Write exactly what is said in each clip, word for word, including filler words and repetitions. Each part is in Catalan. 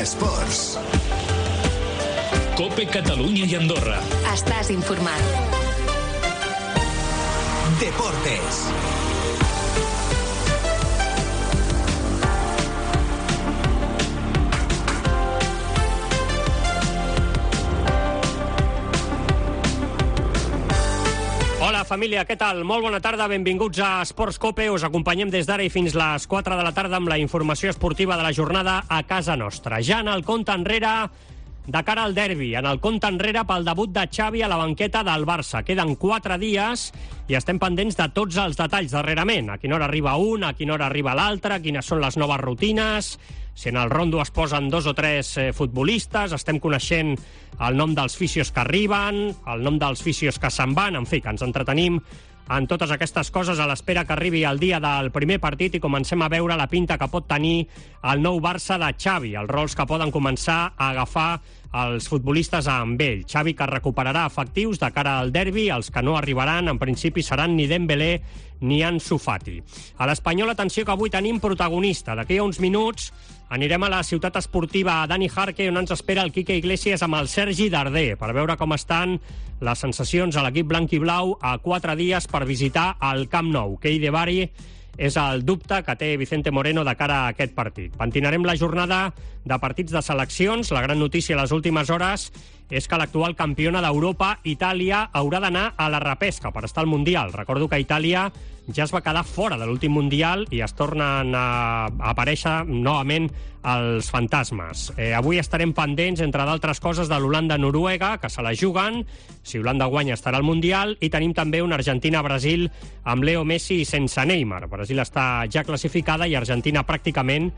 Esports. COPE Catalunya i Andorra. Estàs informat. Deportes. Hola família, què tal? Molt bona tarda, benvinguts a Esports COPE. Us acompanyem des d'ara i fins les quatre de la tarda amb la informació esportiva de la jornada a casa nostra. Ja en el compte enrere de cara al derbi, en el compte enrere pel debut de Xavi a la banqueta del Barça. Queden quatre dies i estem pendents de tots els detalls darrerament. A quina hora arriba un, a quina hora arriba l'altre, quines són les noves rutines, si en el rondo es posen dos o tres eh, futbolistes, estem coneixent el nom dels fisios que arriben, el nom dels fisios que se'n van, en fi, que ens entretenim en totes aquestes coses a l'espera que arribi el dia del primer partit i comencem a veure la pinta que pot tenir el nou Barça de Xavi, els rols que poden començar a agafar els futbolistes amb ell. Xavi que recuperarà efectius de cara al derbi, els que no arribaran en principi seran ni Dembélé ni Ansu Fati. A l'Espanyol, atenció que avui tenim protagonista. D'aquí a uns minuts anirem a la ciutat esportiva Dani Jarque, on ens espera el Quique Iglesias amb el Sergi Darder, per veure com estan les sensacions a l'equip blanc i blau a quatre dies per visitar el Camp Nou. Kei de Bari és el dubte que té Vicente Moreno de cara a aquest partit. Pentinarem la jornada de partits de seleccions. La gran notícia a les últimes hores és que l'actual campiona d'Europa, Itàlia, haurà d'anar a la repesca per estar al Mundial. Recordo que Itàlia ja es va quedar fora de l'últim Mundial i es tornen a aparèixer novament els fantasmes. Eh, avui estarem pendents, entre d'altres coses, de l'Holanda-Noruega, que se la juguen. Si Holanda guanya estarà al Mundial. I tenim també una Argentina-Brasil amb Leo Messi i sense Neymar. Brasil està ja classificada i Argentina pràcticament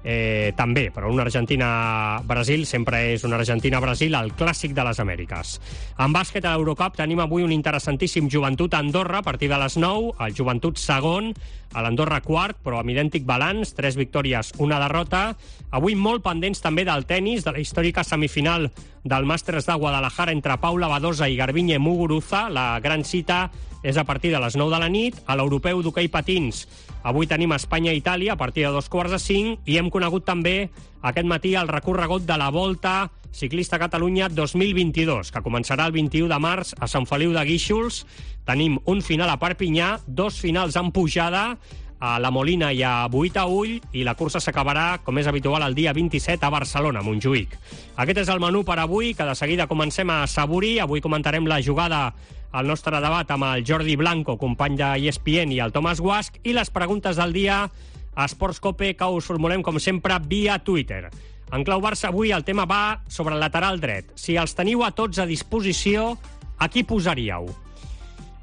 Eh, també, però una Argentina-Brasil sempre és una Argentina-Brasil, el clàssic de les Amèriques. En bàsquet a l'Eurocup tenim avui un interessantíssim Joventut-Andorra a partir de les nou, el Joventut segon, a l'Andorra quart, però amb idèntic balanç, tres victòries, una derrota. Avui molt pendents també del tennis, de la històrica semifinal del Màsters de Guadalajara entre Paula Badosa i Garbiñe Muguruza. La gran cita és a partir de les nou de la nit. A l'europeu d'hoquei patins avui tenim Espanya-Itàlia a partir de dos quarts de cinc i hem conegut també aquest matí el recorregut de la Volta Ciclista Catalunya dos mil vint-i-dos, que començarà el vint-i-u de març a Sant Feliu de Guíxols. Tenim un final a Perpinyà, dos finals en pujada a La Molina i a Boïtaüll, i la cursa s'acabarà, com és habitual, el dia vint-i-set a Barcelona, a Montjuïc. Aquest és el menú per avui, que de seguida comencem a saborir. Avui comentarem la jugada al nostre debat amb el Jordi Blanco, company de E S P N, i el Tomàs Guasch, i les preguntes del dia a Esports COPE, que us formulem, com sempre, via Twitter. En clau Barça, avui el tema va sobre el lateral dret. Si els teniu a tots a disposició, a qui posaríeu?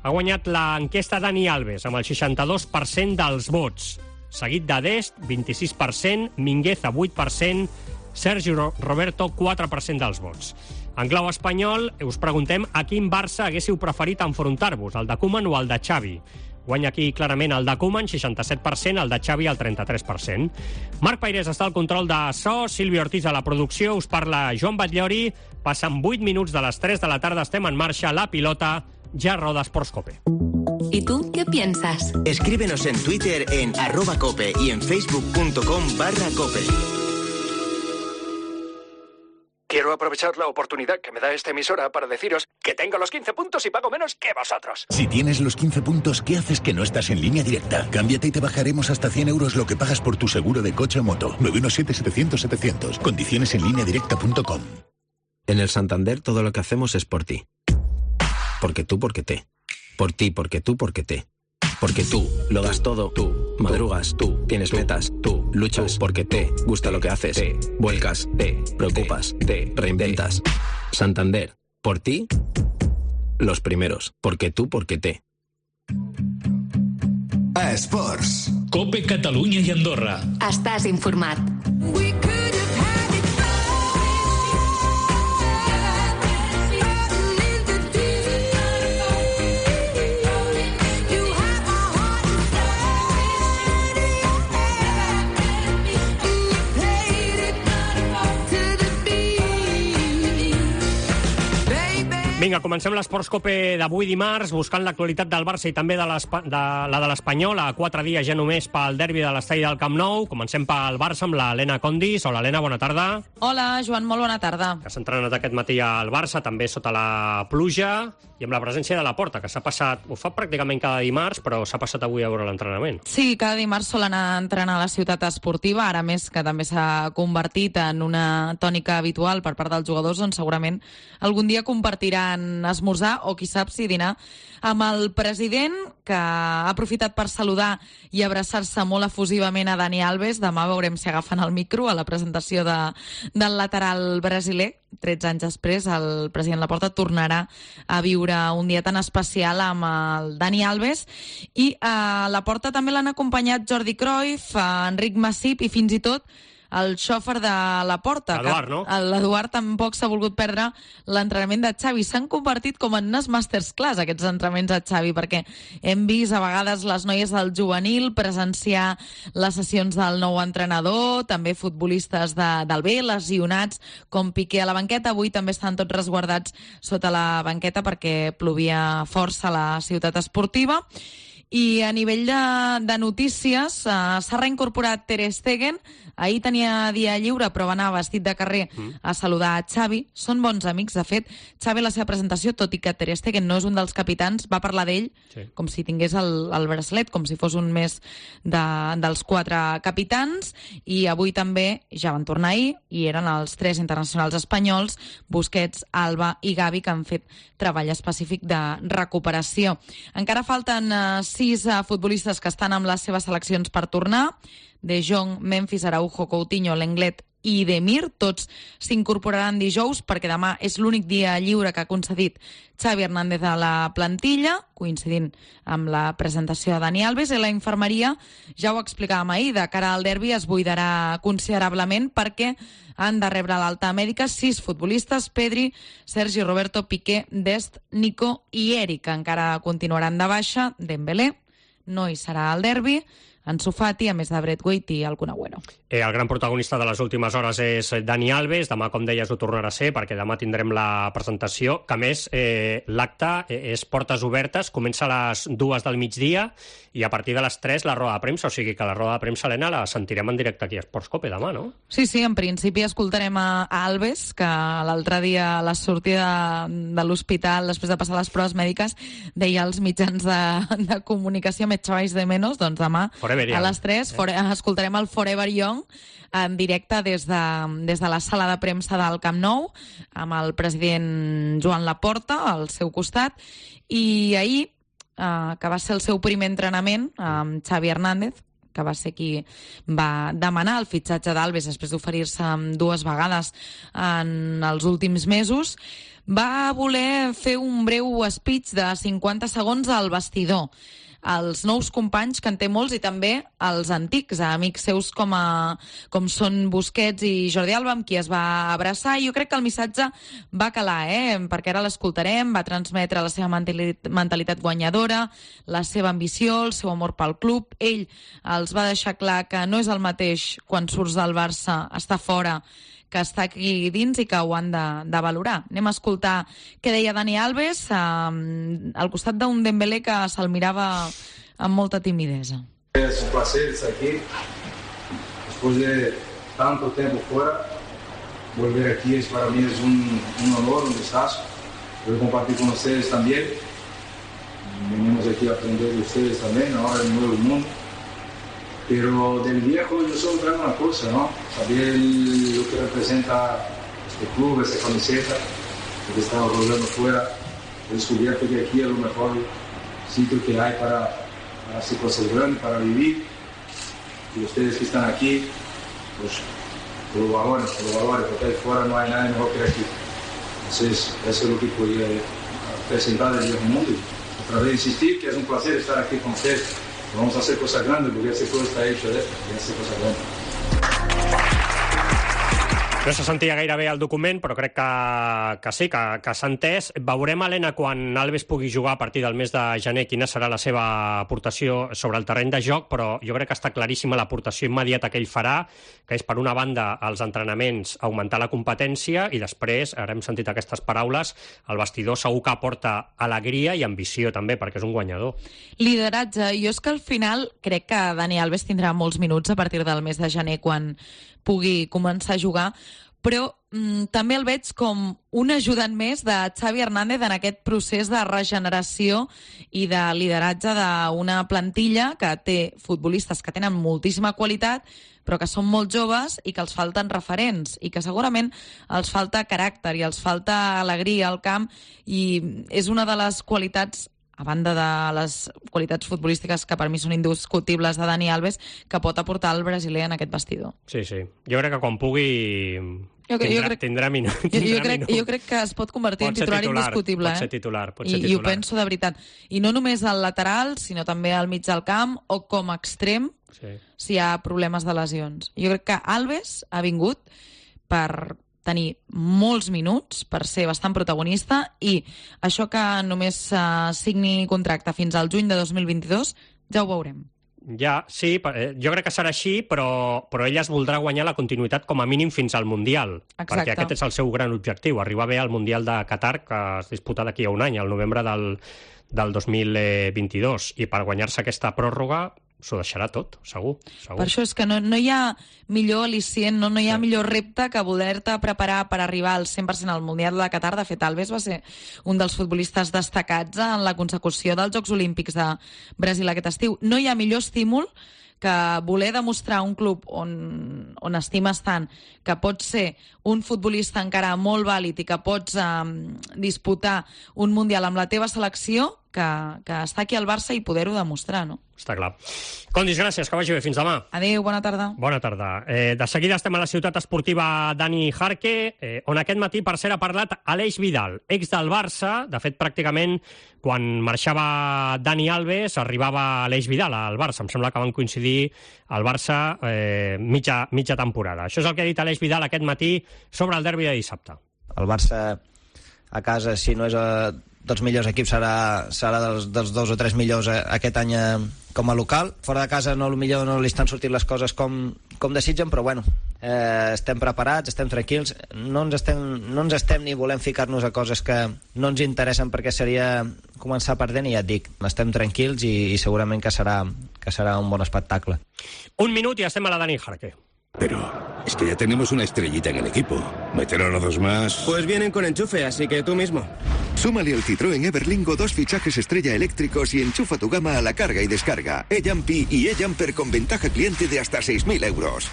Ha guanyat l'enquesta Dani Alves, amb el seixanta-dos per cent dels vots, seguit de Dest, vint-i-sis per cent, Mingueza, vuit per cent, Sergi Roberto, quatre per cent dels vots. En clau espanyol, us preguntem a quin Barça haguéssiu preferit enfrontar-vos, el de Koeman o el de Xavi. Guanya aquí clarament el de Koeman, seixanta-set per cent, el de Xavi, el trenta-tres per cent. Marc Pairés està al control de so, Sílvia Ortiz a la producció, us parla Joan Batllori. Passen vuit minuts de les tres de la tarda, estem en marxa, la pilota ja roda Esports COPE. ¿Y tú qué piensas? Escríbenos en Twitter en arroba cope y en facebook.com barra cope. Quiero aprovechar la oportunidad que me da esta emisora para deciros que tengo los quince puntos y pago menos que vosotros. Si tienes los quince puntos, ¿qué haces que no estás en Línea Directa? Cámbiate y te bajaremos hasta cien euros lo que pagas por tu seguro de coche o moto. nueve uno siete, setecientos, setecientos. Condiciones en línea directa punto com. En el Santander todo lo que hacemos es por ti. Porque tú, porque te. Por ti, porque tú, porque te. Porque tú lo das todo, tú madrugas, tú tienes metas, tú luchas porque te gusta lo que haces, te vuelcas, te preocupas, te reinventas. Santander, por ti, los primeros. Porque tú, porque te. Esports. COPE Catalunya i Andorra. Estàs informat. Vinga, comencem l'Esports Cope d'avui dimarts, buscant l'actualitat del Barça i també de, de la de l'Espanyol, a quatre dies ja només pel derbi de l'estadi del Camp Nou. Comencem pel Barça amb l'Helena Condis. Hola, Helena, bona tarda. Hola, Joan, molt bona tarda. Que s'ha entrenat aquest matí al Barça, també sota la pluja, i amb la presència de Laporta, que s'ha passat, ho fa pràcticament cada dimarts, però s'ha passat avui a veure l'entrenament. Sí, cada dimarts sol anar a entrenar a la ciutat esportiva, ara més que també s'ha convertit en una tònica habitual per part dels jugadors, on segurament algun dia compartiran esmorzar o, qui sap, si dinar amb el president, que ha aprofitat per saludar i abraçar-se molt efusivament a Dani Alves. Demà veurem si agafen el micro a la presentació de, del lateral brasiler. tretze anys després, el president Laporta tornarà a viure un dia tan especial amb el Dani Alves. I a Laporta també l'han acompanyat Jordi Cruyff, Enric Masip i fins i tot el xòfer de Laporta. L'Eduard, no? L'Eduard tampoc s'ha volgut perdre l'entrenament de Xavi. S'han convertit com en unes masterclass, aquests entrenaments de Xavi, perquè hem vist a vegades les noies del juvenil presenciar les sessions del nou entrenador, també futbolistes de, del B, lesionats, com Piqué a la banqueta. Avui també estan tots resguardats sota la banqueta perquè plovia força a la ciutat esportiva. I a nivell de, de notícies, uh, s'ha reincorporat Ter Stegen. Ahir tenia dia lliure, però va anar vestit de carrer a saludar a Xavi. Són bons amics, de fet. Xavi, a la seva presentació, tot i que Ter Stegen no és un dels capitans, va parlar d'ell sí. com si tingués el, el braçalet, com si fos un més de, dels quatre capitans. I avui també, ja van tornar ahir, i eren els tres internacionals espanyols, Busquets, Alba i Gavi, que han fet treball específic de recuperació. Encara falten uh, sis uh, futbolistes que estan amb les seves seleccions per tornar. De Jong, Memphis, Araujo, Coutinho, Lenglet i Demir. Tots s'incorporaran dijous perquè demà és l'únic dia lliure que ha concedit Xavi Hernández a la plantilla, coincidint amb la presentació de Dani Alves. I la infermeria, ja ho explicàvem ahir, de cara al derbi es buidarà considerablement perquè han de rebre l'alta mèdica sis futbolistes: Pedri, Sergi Roberto, Piqué, Dest, Nico i Eric, que encara continuaran de baixa. Dembélé no hi serà al derbi. Ansu Fati, a més de Braithwaite i el Kun Agüero. Eh, el gran protagonista de les últimes hores és Dani Alves. Demà, com deies, ho tornarà a ser, perquè demà tindrem la presentació, que a més eh, l'acte és portes obertes, comença a les dues del migdia i a partir de les tres la roda de premsa, o sigui que la roda de premsa, Helena, la sentirem en directe aquí a Esports Cope demà, no? Sí, sí, en principi escoltarem a, a Alves, que l'altre dia a la sortida de, de l'hospital, després de passar les proves mèdiques, deia als mitjans de, de comunicació, me echabais de menos. Doncs demà a les tres for, escoltarem el Forever Young en directe des de, des de la sala de premsa del Camp Nou, amb el president Joan Laporta al seu costat. I ahir, eh, que va ser el seu primer entrenament amb Xavi Hernández, que va ser qui va demanar el fitxatge d'Alves després d'oferir-se dues vegades en els últims mesos, va voler fer un breu speech de cinquanta segons al vestidor, als nous companys, que en té molts, i també als antics, a amics seus com, a, com són Busquets i Jordi Alba, amb qui es va abraçar. I jo crec que el missatge va calar, eh? perquè ara l'escoltarem. Va transmetre la seva mentalitat guanyadora, la seva ambició, el seu amor pel club. Ell els va deixar clar que no és el mateix quan surts del Barça, està fora, que està aquí dins i que ho han de, de valorar. Anem a escoltar què deia Dani Alves eh, al costat d'un Dembélé que se'l mirava amb molta timidesa. Es un placer estar aquí. Después de tanto tiempo fuera, volver aquí es, para mí es un, un honor, un descanso. Poder compartir con ustedes también. Venimos aquí a aprender de ustedes también, ahora en el nuevo mundo. Pero del viejo yo solo traigo una cosa, ¿no? Saber lo que representa este club, esta camiseta, lo que estamos rodando fuera. He descubierto que aquí es lo mejor sitio que hay para, para hacer cosas grandes, para vivir. Y ustedes que están aquí, pues lo valoren, lo valoren, porque ahí fuera no hay nada mejor que aquí. Entonces, eso es lo que podía presentar del viejo mundo. Y otra vez insistir que es un placer estar aquí con ustedes. Vamos a hacer cosas grandes, porque ese todo está hecho de esto, y hacer cosas grandes. No se sentia gaire bé el document, però crec que, que sí, que, que s'ha entès. Veurem, Helena, quan Alves pugui jugar a partir del mes de gener, quina serà la seva aportació sobre el terreny de joc, però jo crec que està claríssima l'aportació immediata que ell farà, que és, per una banda, als entrenaments augmentar la competència, i després, ara hem sentit aquestes paraules, el vestidor segur que aporta alegria i ambició també, perquè és un guanyador. Lideratge. Jo és que al final crec que Dani Alves tindrà molts minuts a partir del mes de gener quan pugui començar a jugar, però mm, també el veig com un ajudant més de Xavi Hernández en aquest procés de regeneració i de lideratge d'una plantilla que té futbolistes que tenen moltíssima qualitat, però que són molt joves i que els falten referents i que segurament els falta caràcter i els falta alegria al camp, i és una de les qualitats, a banda de les qualitats futbolístiques que per mi són indiscutibles de Dani Alves, que pot aportar el brasiler en aquest vestidor. Sí, sí. Jo crec que quan pugui jo, tindrà, jo crec, tindrà minuts. Jo, jo, crec, jo crec que es pot convertir pot en titular, titular indiscutible. Pot ser titular, pot ser I, titular. I ho penso de veritat. I no només al lateral, sinó també al mig del camp o com a extrem, sí, si hi ha problemes de lesions. Jo crec que Alves ha vingut per tenir molts minuts, per ser bastant protagonista, i això que només uh, signi contracte fins al juny de dos mil vint-i-dos, ja ho veurem. Ja, sí, jo crec que serà així, però, però ella es voldrà guanyar la continuïtat com a mínim fins al Mundial. Exacte. Perquè aquest és el seu gran objectiu, arribar bé al Mundial de Qatar, que es disputa d'aquí a un any, al novembre del, del dos mil vint-i-dos, i per guanyar-se aquesta pròrroga s'ho deixarà tot, segur, segur. Per això és que no, no hi ha millor al·licient, no, no hi ha sí. millor repte que voler-te preparar per arribar al cent per cent al Mundial de Qatar. De fet, Alves va ser un dels futbolistes destacats en la consecució dels Jocs Olímpics de Brasil aquest estiu. No hi ha millor estímul que voler demostrar a un club on, on estimes tant que pots ser un futbolista encara molt vàlid i que pots eh, disputar un Mundial amb la teva selecció, que, que està aquí al Barça i poder-ho demostrar, no? Està clar. Condis, gràcies, que vagi bé. Fins demà. Adéu, bona tarda. Bona tarda. Eh, de seguida estem a la ciutat esportiva Dani Jarque, eh, on aquest matí, per cert, ha parlat Aleix Vidal, ex del Barça. De fet, pràcticament, quan marxava Dani Alves, arribava Aleix Vidal al Barça. Em sembla que van coincidir al Barça eh, mitja, mitja temporada. Això és el que ha dit Aleix Vidal aquest matí sobre el derbi de dissabte. El Barça a casa, si no és a dels millors equips, serà, serà dels, dels dos o tres millors aquest any com a local. Fora de casa no, millor no li estan sortint les coses com, com desitgen, però bueno, eh, estem preparats, estem tranquils, no ens estem, no ens estem ni volem ficar-nos a coses que no ens interessen, perquè seria començar perdent, i ja et dic, estem tranquils i, i segurament que serà, que serà un bon espectacle. Un minut i estem a la Dani Jarque. Pero es que ya tenemos una estrellita en el equipo. ¿Meter a los dos más? Pues vienen con enchufe, así que tú mismo. Súmale al Citroën Everlingo dos fichajes estrella eléctricos y enchufa tu gama a la carga y descarga. E-Jumpy y E-Jumper con ventaja cliente de hasta seis mil euros.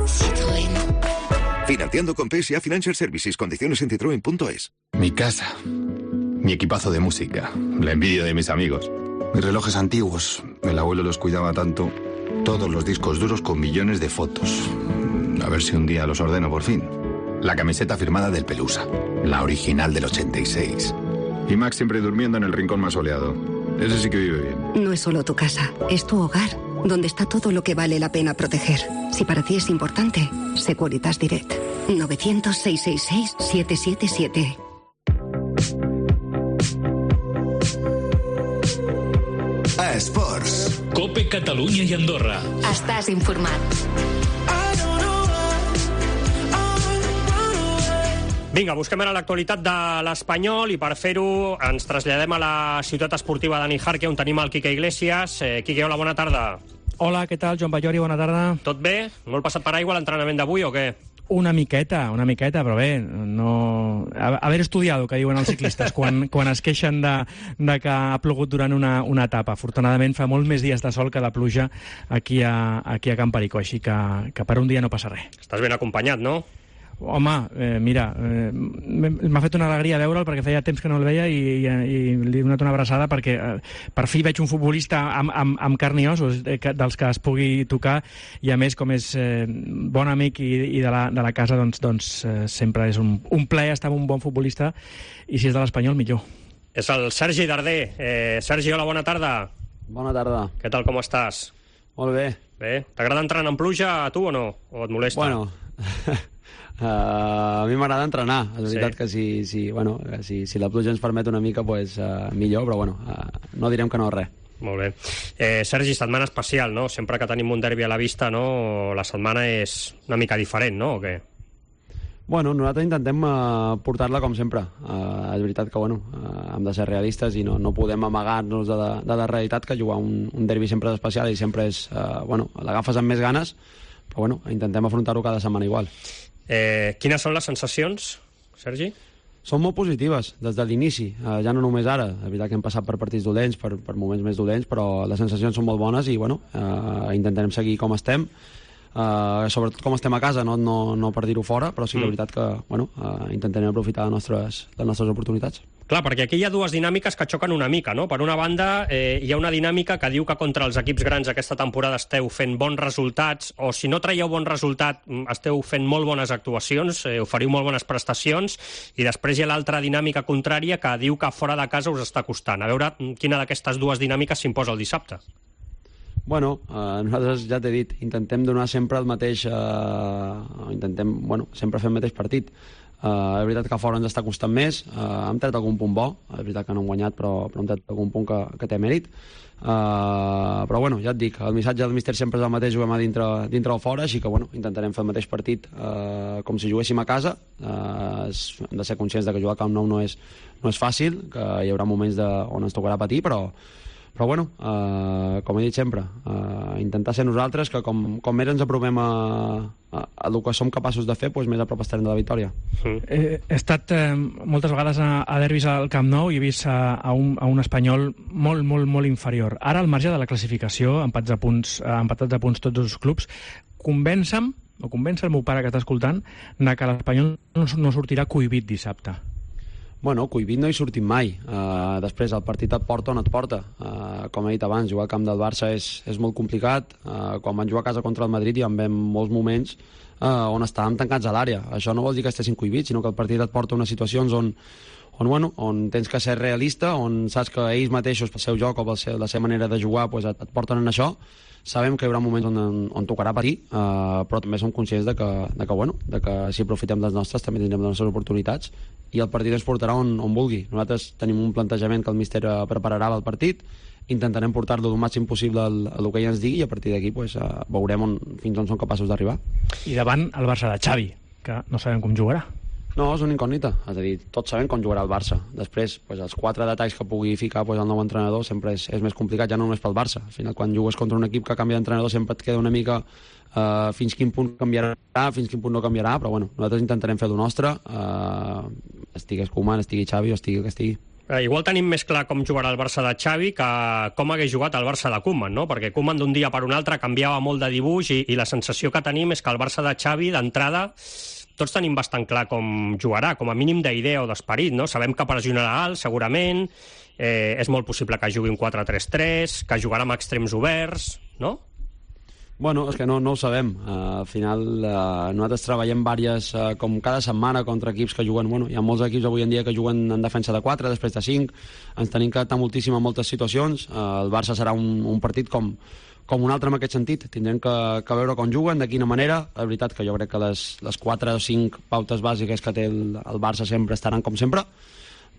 Citroën. Financiando con P S A Financial Services. Condiciones en citroen punto es. Mi casa. Mi equipazo de música. La envidia de mis amigos. Mis relojes antiguos. El abuelo los cuidaba tanto. Todos los discos duros con millones de fotos. A ver si un día los ordeno por fin. La camiseta firmada del Pelusa. La original del ochenta y seis. Y Max siempre durmiendo en el rincón más soleado. Ese sí que vive bien. No es solo tu casa, es tu hogar, donde está todo lo que vale la pena proteger. Si para ti es importante, Securitas Direct. novecientos, seiscientos sesenta y seis, setecientos setenta y siete. A Esports. Cope Catalunya i Andorra. Estàs informat. Vinga, busquem ara l'actualitat de l'Espanyol i per fer-ho ens traslladem a la ciutat esportiva Dani Jarque, on tenim el Quique Iglesias. Eh, Quique, hola, bona tarda. Hola, què tal? Joan Ballori, bona tarda. Tot bé? Molt passat per aigua l'entrenament d'avui o què? Una miqueta, una miqueta, però bé, no... haver estudiado, que diuen els ciclistes, quan, quan es queixen de, de que ha plogut durant una, una etapa. Afortunadament fa molts més dies de sol que de pluja aquí a, aquí a Camp Perico, així que, que per un dia no passa res. Estàs ben acompanyat, no? Home, eh, mira, eh, m'ha fet una alegria veure'l perquè feia temps que no el veia i, i, i li he donat una abraçada perquè eh, per fi veig un futbolista amb, amb, amb carn i ossos eh, que, dels que es pugui tocar, i a més com és eh, bon amic i, i de, la, de la casa, doncs, doncs eh, sempre és un, un plaer estar amb un bon futbolista, i si és de l'Espanyol millor. És el Sergi Darder. Eh, Sergi, hola, bona tarda. Bona tarda. Què tal, com estàs? Molt bé. Bé. T'agrada entrenar en pluja a tu o no? O et molesta? Bueno... Uh, a mi m'agrada entrenar. És veritat sí. que si, si, bueno, si, si la pluja ens permet una mica, pues, uh, millor, però bueno, uh, no direm que no res. Molt bé. Eh, Sergi, setmana especial, no? Sempre que tenim un derbi a la vista, no? La setmana és una mica diferent, no? O què? Bueno, nosaltres intentem uh, portar-la com sempre. Uh, és veritat que, bueno, uh, hem de ser realistes i no, no podem amagar-nos de, de, de la realitat, que jugar un, un derbi sempre és especial i sempre és, uh, bueno, l'agafes amb més ganes, però bueno, intentem afrontar-ho cada setmana igual. Eh, quines són les sensacions, Sergi? Són molt positives, des de l'inici, uh, ja no només ara. És veritat que hem passat per partits dolents, per, per moments més dolents, però les sensacions són molt bones i, bueno, uh, intentarem seguir com estem, uh, sobretot com estem a casa, no, no, no per dir-ho fora, però sí que mm. és veritat que, bueno, uh, intentarem aprofitar les nostres, les nostres oportunitats. Clar, perquè aquí hi ha dues dinàmiques que xoquen una mica, no? Per una banda, eh, hi ha una dinàmica que diu que contra els equips grans aquesta temporada esteu fent bons resultats, o si no traieu bon resultat, esteu fent molt bones actuacions, eh, oferiu molt bones prestacions, i després hi ha l'altra dinàmica contrària que diu que fora de casa us està costant. A veure quina d'aquestes dues dinàmiques s'imposa el dissabte. Bueno, eh, nosaltres ja t'he dit, intentem donar sempre el mateix, eh, intentem, bueno, sempre fer el mateix partit. Uh, és veritat que fora ens està costant més, uh, hem tret algun punt bo, és veritat que no hem guanyat, però, però hem tret algun punt que, que té mèrit. Uh, però bueno, ja et dic, el missatge del míster sempre és el mateix, juguem a dintre, dintre o fora, així que bueno, intentarem fer el mateix partit uh, com si juguéssim a casa. Uh, hem de ser conscients de que jugar a Camp Nou no és, no és fàcil, que hi haurà moments de, on ens tocarà patir, però Però bueno, eh, com he dit sempre, eh, intentar ser nosaltres, que com, com més ens apropem a, a, a el que som capaços de fer, doncs més a prop estarem de la victòria. Mm. Eh, he estat eh, moltes vegades a, a derbis al Camp Nou i he vist a, a, un, a un espanyol molt, molt, molt inferior. Ara, al marge de la classificació, empats a punts, empatats a punts tots els clubs, convencem, o convèncer el meu pare que està escoltant, que l'Espanyol no, no sortirà cohibit dissabte. Bueno, cohibit no hi sortim mai. Uh, després, el partit et porta on et porta. Uh, com he dit abans, jugar al camp del Barça és, és molt complicat. Uh, quan van jugar a casa contra el Madrid hi vam molts moments uh, on estàvem tancats a l'àrea. Això no vol dir que estessin cohibits, sinó que el partit et porta unes situacions on, on, bueno, on tens que ser realista, on saps que ells mateixos, pel seu joc o per la seva manera de jugar, pues, et, et porten en això. Sabem que hi haurà moments on, on tocarà patir, uh, però també som conscients de que, de que, bueno, de que si aprofitem les nostres també tindrem les nostres oportunitats i el partit ens portarà on, on vulgui. Nosaltres tenim un plantejament que el míster prepararà el partit, intentarem portar-lo el màxim possible al, al que ell ens digui i a partir d'aquí pues, uh, veurem on, fins on som capaços d'arribar. I davant el Barça de Xavi, que no sabem com jugarà. No, és una incògnita, és a dir, tots sabem com jugarà el Barça. Després, pues, els quatre detalls que pugui ficar pues, el nou entrenador sempre és, és més complicat, ja no només pel Barça. Al final, quan jugues contra un equip que canvia d'entrenador sempre et queda una mica uh, fins quin punt canviarà, fins quin punt no canviarà, però bueno, nosaltres intentarem fer el nostre, uh, estigués Koeman, estigui Xavi o estigui el que estigui. Eh, igual tenim més clar com jugarà el Barça de Xavi que com hagués jugat el Barça de Koeman, no? Perquè Koeman d'un dia per un altre canviava molt de dibuix i, i la sensació que tenim és que el Barça de Xavi, d'entrada, tots tenim bastant clar com jugarà, com a mínim d'idea o d'esperit, no? Sabem que pressionarà alt, segurament, eh, és molt possible que jugui un quatre tres tres, que jugarà amb extrems oberts, no? Bueno, és que no, no ho sabem. Uh, al final, uh, nosaltres treballem diverses, uh, com cada setmana, contra equips que juguen... Bueno, hi ha molts equips avui en dia que juguen en defensa de quatre, després de cinc. Ens tenim que adaptar moltíssim a moltes situacions. Uh, el Barça serà un, un partit com, com un altre en aquest sentit. Tindrem que, que veure com juguen, de quina manera. La veritat que jo crec que les, les quatre o cinc pautes bàsiques que té el, el Barça sempre estaran com sempre,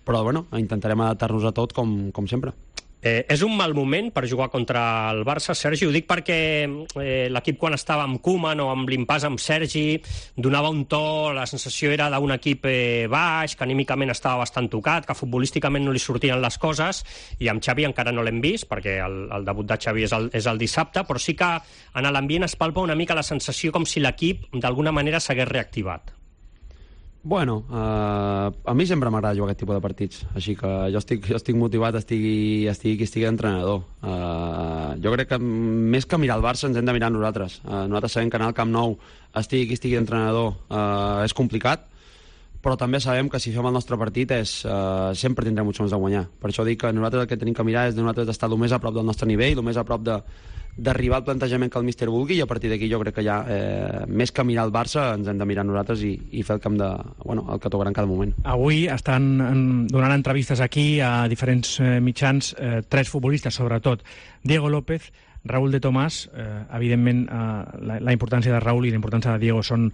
però bueno, intentarem adaptar-nos a tot com, com sempre. Eh, és un mal moment per jugar contra el Barça, Sergi? Ho dic perquè eh, l'equip quan estava amb Koeman o amb l'impàs amb Sergi donava un to, la sensació era d'un equip eh, baix, que anímicament estava bastant tocat, que futbolísticament no li sortien les coses, i amb Xavi encara no l'hem vist, perquè el, el debut de Xavi és el, és el dissabte, però sí que en l'ambient es palpa una mica la sensació com si l'equip d'alguna manera s'hagués reactivat. Bueno, uh, a mi sempre m'agrada jugar aquest tipus de partits, així que jo estic, jo estic motivat, estigui, estigui qui estigui d'entrenador. Uh, jo crec que més que mirar el Barça ens hem de mirar nosaltres. Uh, nosaltres sabem que anar al Camp Nou estigui qui estigui d'entrenador uh, és complicat, però també sabem que si fem el nostre partit és, uh, sempre tindrem opcions de guanyar. Per això dic que nosaltres el que tenim que mirar és de nosaltres estar el més a prop del nostre nivell, el més a prop de d'arribar al plantejament que el míster vulgui, i a partir d'aquí jo crec que ja, eh, més que mirar el Barça, ens hem de mirar nosaltres i, i fer el camp de, bueno, el que tocarà en cada moment. Avui estan en, donant entrevistes aquí a diferents eh, mitjans, eh, tres futbolistes sobretot, Diego López, Raúl de Tomàs, eh, evidentment, eh, la, la importància de Raúl i la importància de Diego són,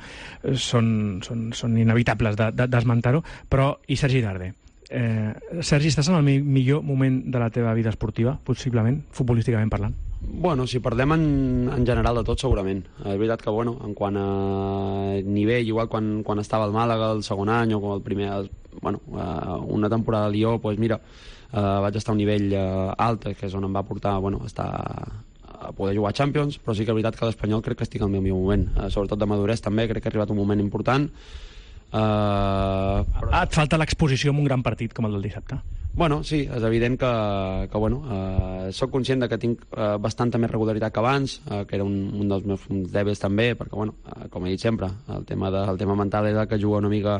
són, són, són inevitables de, de, d'esmentar-ho, però i Sergi Darder? Eh, Sergi, estàs en el mi millor moment de la teva vida esportiva, possiblement, futbolísticament parlant? Bueno, si parlem en, en general de tot, segurament. És veritat que, bueno, en quant a nivell, igual quan, quan estava al Màlaga el segon any o com el primer, bueno, una temporada a Lió, doncs mira, eh, vaig estar a un nivell eh, alt, que és on em va portar, bueno, estar a poder jugar a Champions, però sí que és veritat que l'Espanyol crec que estic al meu millor moment, eh, sobretot de madurez també, crec que ha arribat un moment important. Uh, però... ah, et falta l'exposició en un gran partit com el del dissabte. Bueno, sí, és evident que, que bueno, uh, soc conscient de que tinc uh, bastanta més regularitat que abans, uh, que era un, un dels meus dèbils també, perquè, bueno, uh, com he dit sempre, el tema, de, el tema mental és el que juga una mica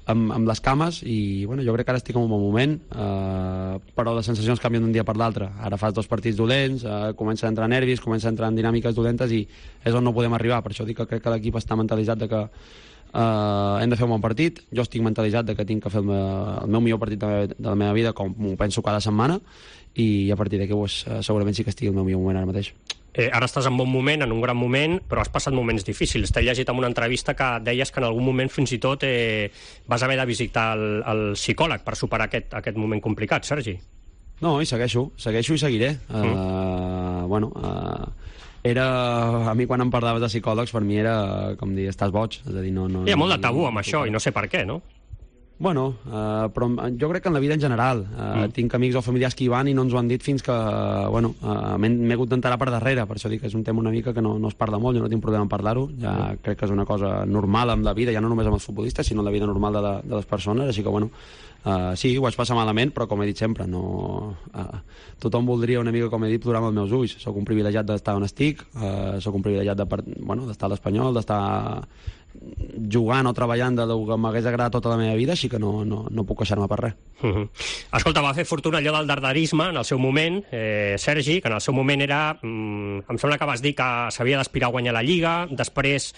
amb, amb les cames i, bueno, jo crec que ara estic en un bon moment, uh, però les sensacions canvien d'un dia per l'altre. Ara fas dos partits dolents, uh, comença a entrar nervis, comença a entrar en dinàmiques dolentes i és on no podem arribar. Per això dic que crec que l'equip està mentalitzat de que Uh, hem de fer un bon partit. Jo estic mentalitzat de que tinc que fer el, me, el meu millor partit de, me, de la meva vida, com ho penso cada setmana, i a partir d'aquí pues, uh, segurament sí que estigui el meu millor moment ara mateix. Eh, ara estàs en bon moment, en un gran moment, però has passat moments difícils. T'he llegit en una entrevista que deies que en algun moment fins i tot eh, vas haver de visitar el, el psicòleg per superar aquest, aquest moment complicat, Sergi. No, i segueixo, segueixo i seguiré. Mm. Uh, bueno... Uh, Era, a mi quan em parlaves de psicòlegs, per mi era com dir, estàs boig. És a dir, no, no, Hi ha molt de tabú amb això, i no sé per què, no? Bueno, uh, però jo crec que en la vida en general. Uh, mm. Tinc amics o familiars que hi van i no ens ho han dit fins que, bueno, uh, m'he hagut d'enterar per darrere. Per això dic que és un tema una mica que no, no es parla molt, jo no tinc problema en parlar-ho. Ja mm. crec que és una cosa normal amb la vida, ja no només amb els futbolistes, sinó en la vida normal de, la, de les persones. Així que, bueno, Uh, sí, ho vaig passar malament, però com he dit sempre, no, uh, tothom voldria una mica, com he dit, plorar amb els meus ulls. Soc un privilegiat d'estar on estic, uh, soc un privilegiat de, bueno, d'estar a l'Espanyol, d'estar jugant o treballant del que m'hagués agradat tota la meva vida, així que no, no, no puc queixar-me per res. Uh -huh. Escolta, va fer fortuna allò del darderisme en el seu moment, eh, Sergi, que en el seu moment era... Mm, em sembla que vas dir que s'havia d'aspirar a guanyar la Lliga, després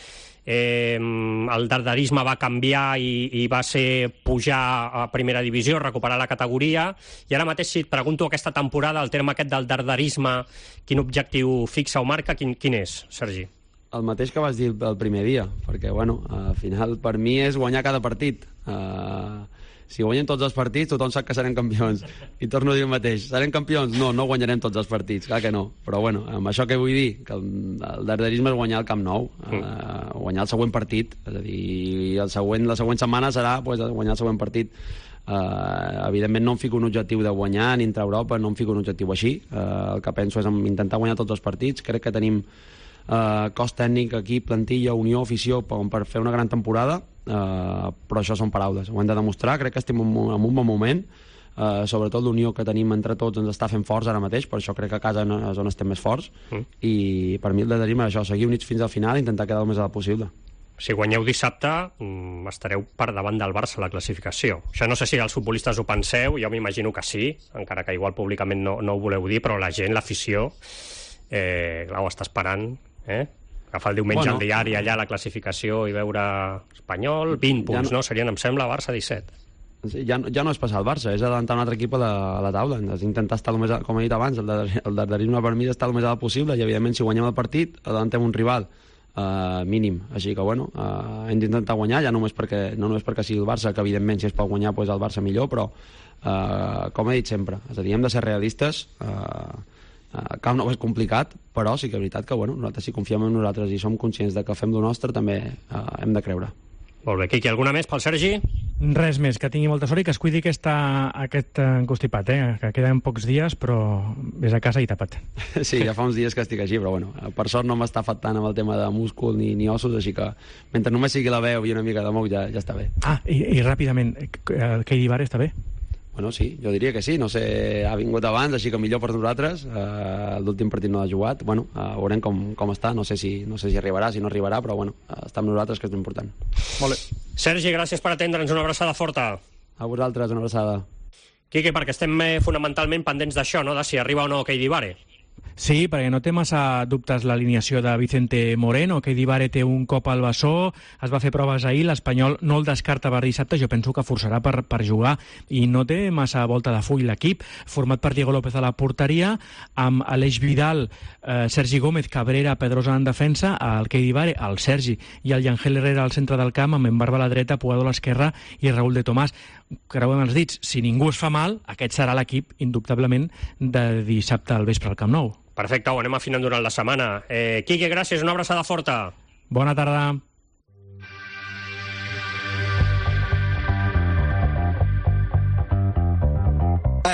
eh, el darderisme va canviar i, i va ser pujar a primera divisió, recuperar la categoria, i ara mateix si et pregunto aquesta temporada, el terme aquest del darderisme, quin objectiu fixa o marca, quin, quin és, Sergi? El mateix que vas dir el primer dia, perquè, bueno, al final, per mi és guanyar cada partit. Uh, si guanyem tots els partits, tothom sap que serem campions. I torno a dir el mateix, serem campions? No, no guanyarem tots els partits, clar que no. Però, bueno, amb això que vull dir, que el, el darderisme és guanyar el Camp Nou, uh, guanyar el següent partit, és a dir, el següent, la següent setmana serà pues, guanyar el següent partit. Uh, evidentment no em fico un objectiu de guanyar ni entrar a Europa, no em fico un objectiu així. Uh, el que penso és intentar guanyar tots els partits. Crec que tenim Uh, cos tècnic, equip, plantilla, unió, afició per, per fer una gran temporada, uh, però això són paraules, ho hem de demostrar. Crec que estem en un, en un bon moment, uh, sobretot l'unió que tenim entre tots ens està fent forts ara mateix, per això crec que a casa no, és on estem més forts, mm. i per mi el de dir-me això, seguir units fins al final i intentar quedar el més alt possible. Si guanyeu dissabte, estareu per davant del Barça a la classificació. Això no sé si els futbolistes ho penseu, jo m'imagino que sí, encara que igual públicament no, no ho voleu dir, però la gent, l'afició, eh, clar, ho està esperant. Eh? Agafar el diumenge bueno, al diari allà la classificació i veure Espanyol, vint punts, ja no, no? Serien, em sembla, Barça disset. Ja, ja no és passar el Barça, és adelantar un altre equip a la, a la taula, és intentar estar el més, com he dit abans, el, de, el darderisme per mi és estar el més alt possible, i evidentment si guanyem el partit adelantem un rival uh, mínim, així que bueno, uh, hem d'intentar guanyar, ja només perquè, no només perquè sigui el Barça, que evidentment si es pot guanyar pues el Barça millor, però uh, com he dit sempre, és a dir, hem de ser realistes. uh, Uh, Camp Nou és complicat, però sí que és veritat que bueno, nosaltres si confiem en nosaltres i som conscients de que fem lo nostre, també uh, hem de creure. Molt bé, Quiqui, alguna més pel Sergi? Res més, que tingui molta sort i que es cuidi aquesta, aquest encostipat, eh? Que queden pocs dies, però vés a casa i tapa't. Sí, ja fa uns dies que estic així, però bueno, per sort no m'està afectant amb el tema de múscul ni, ni ossos, així que mentre només sigui la veu i una mica de moc ja, ja està bé. Ah, i, i ràpidament, el Keidi Bar està bé? Bueno, sí, jo diria que sí, no sé, ha vingut abans, així que millor per nosaltres, uh, l'últim partit no l'ha jugat, bueno, uh, veurem com, com està, no sé, si, no sé si arribarà, si no arribarà, però bueno, uh, està amb nosaltres, que és important. Molt bé. Sergi, gràcies per atendre'ns, una abraçada forta. A vosaltres, una abraçada. Quique, perquè estem eh, fonamentalment pendents d'això, no?, de si arriba o no Keidi Bare. Sí, perquè no té massa dubtes l'alineació de Vicente Moreno, que Dibare té un cop al bessó, es va fer proves ahir, l'Espanyol no el descarta per dissabte, jo penso que forçarà per, per jugar, i no té massa volta de full l'equip, format per Diego López a la porteria, amb Aleix Vidal, eh, Sergi Gómez, Cabrera, Pedrosa en defensa, el Kei Dibare, el Sergi, i el Yangel Herrera al centre del camp, amb Embarba a la dreta, Puado a l'esquerra i Raúl de Tomàs. Creuem els dits, si ningú es fa mal, aquest serà l'equip, indubtablement, de dissabte al vespre al Camp Nou. Perfecte, ho anem afinant durant la setmana. Eh, Quique, gràcies, una abraçada forta. Bona tarda.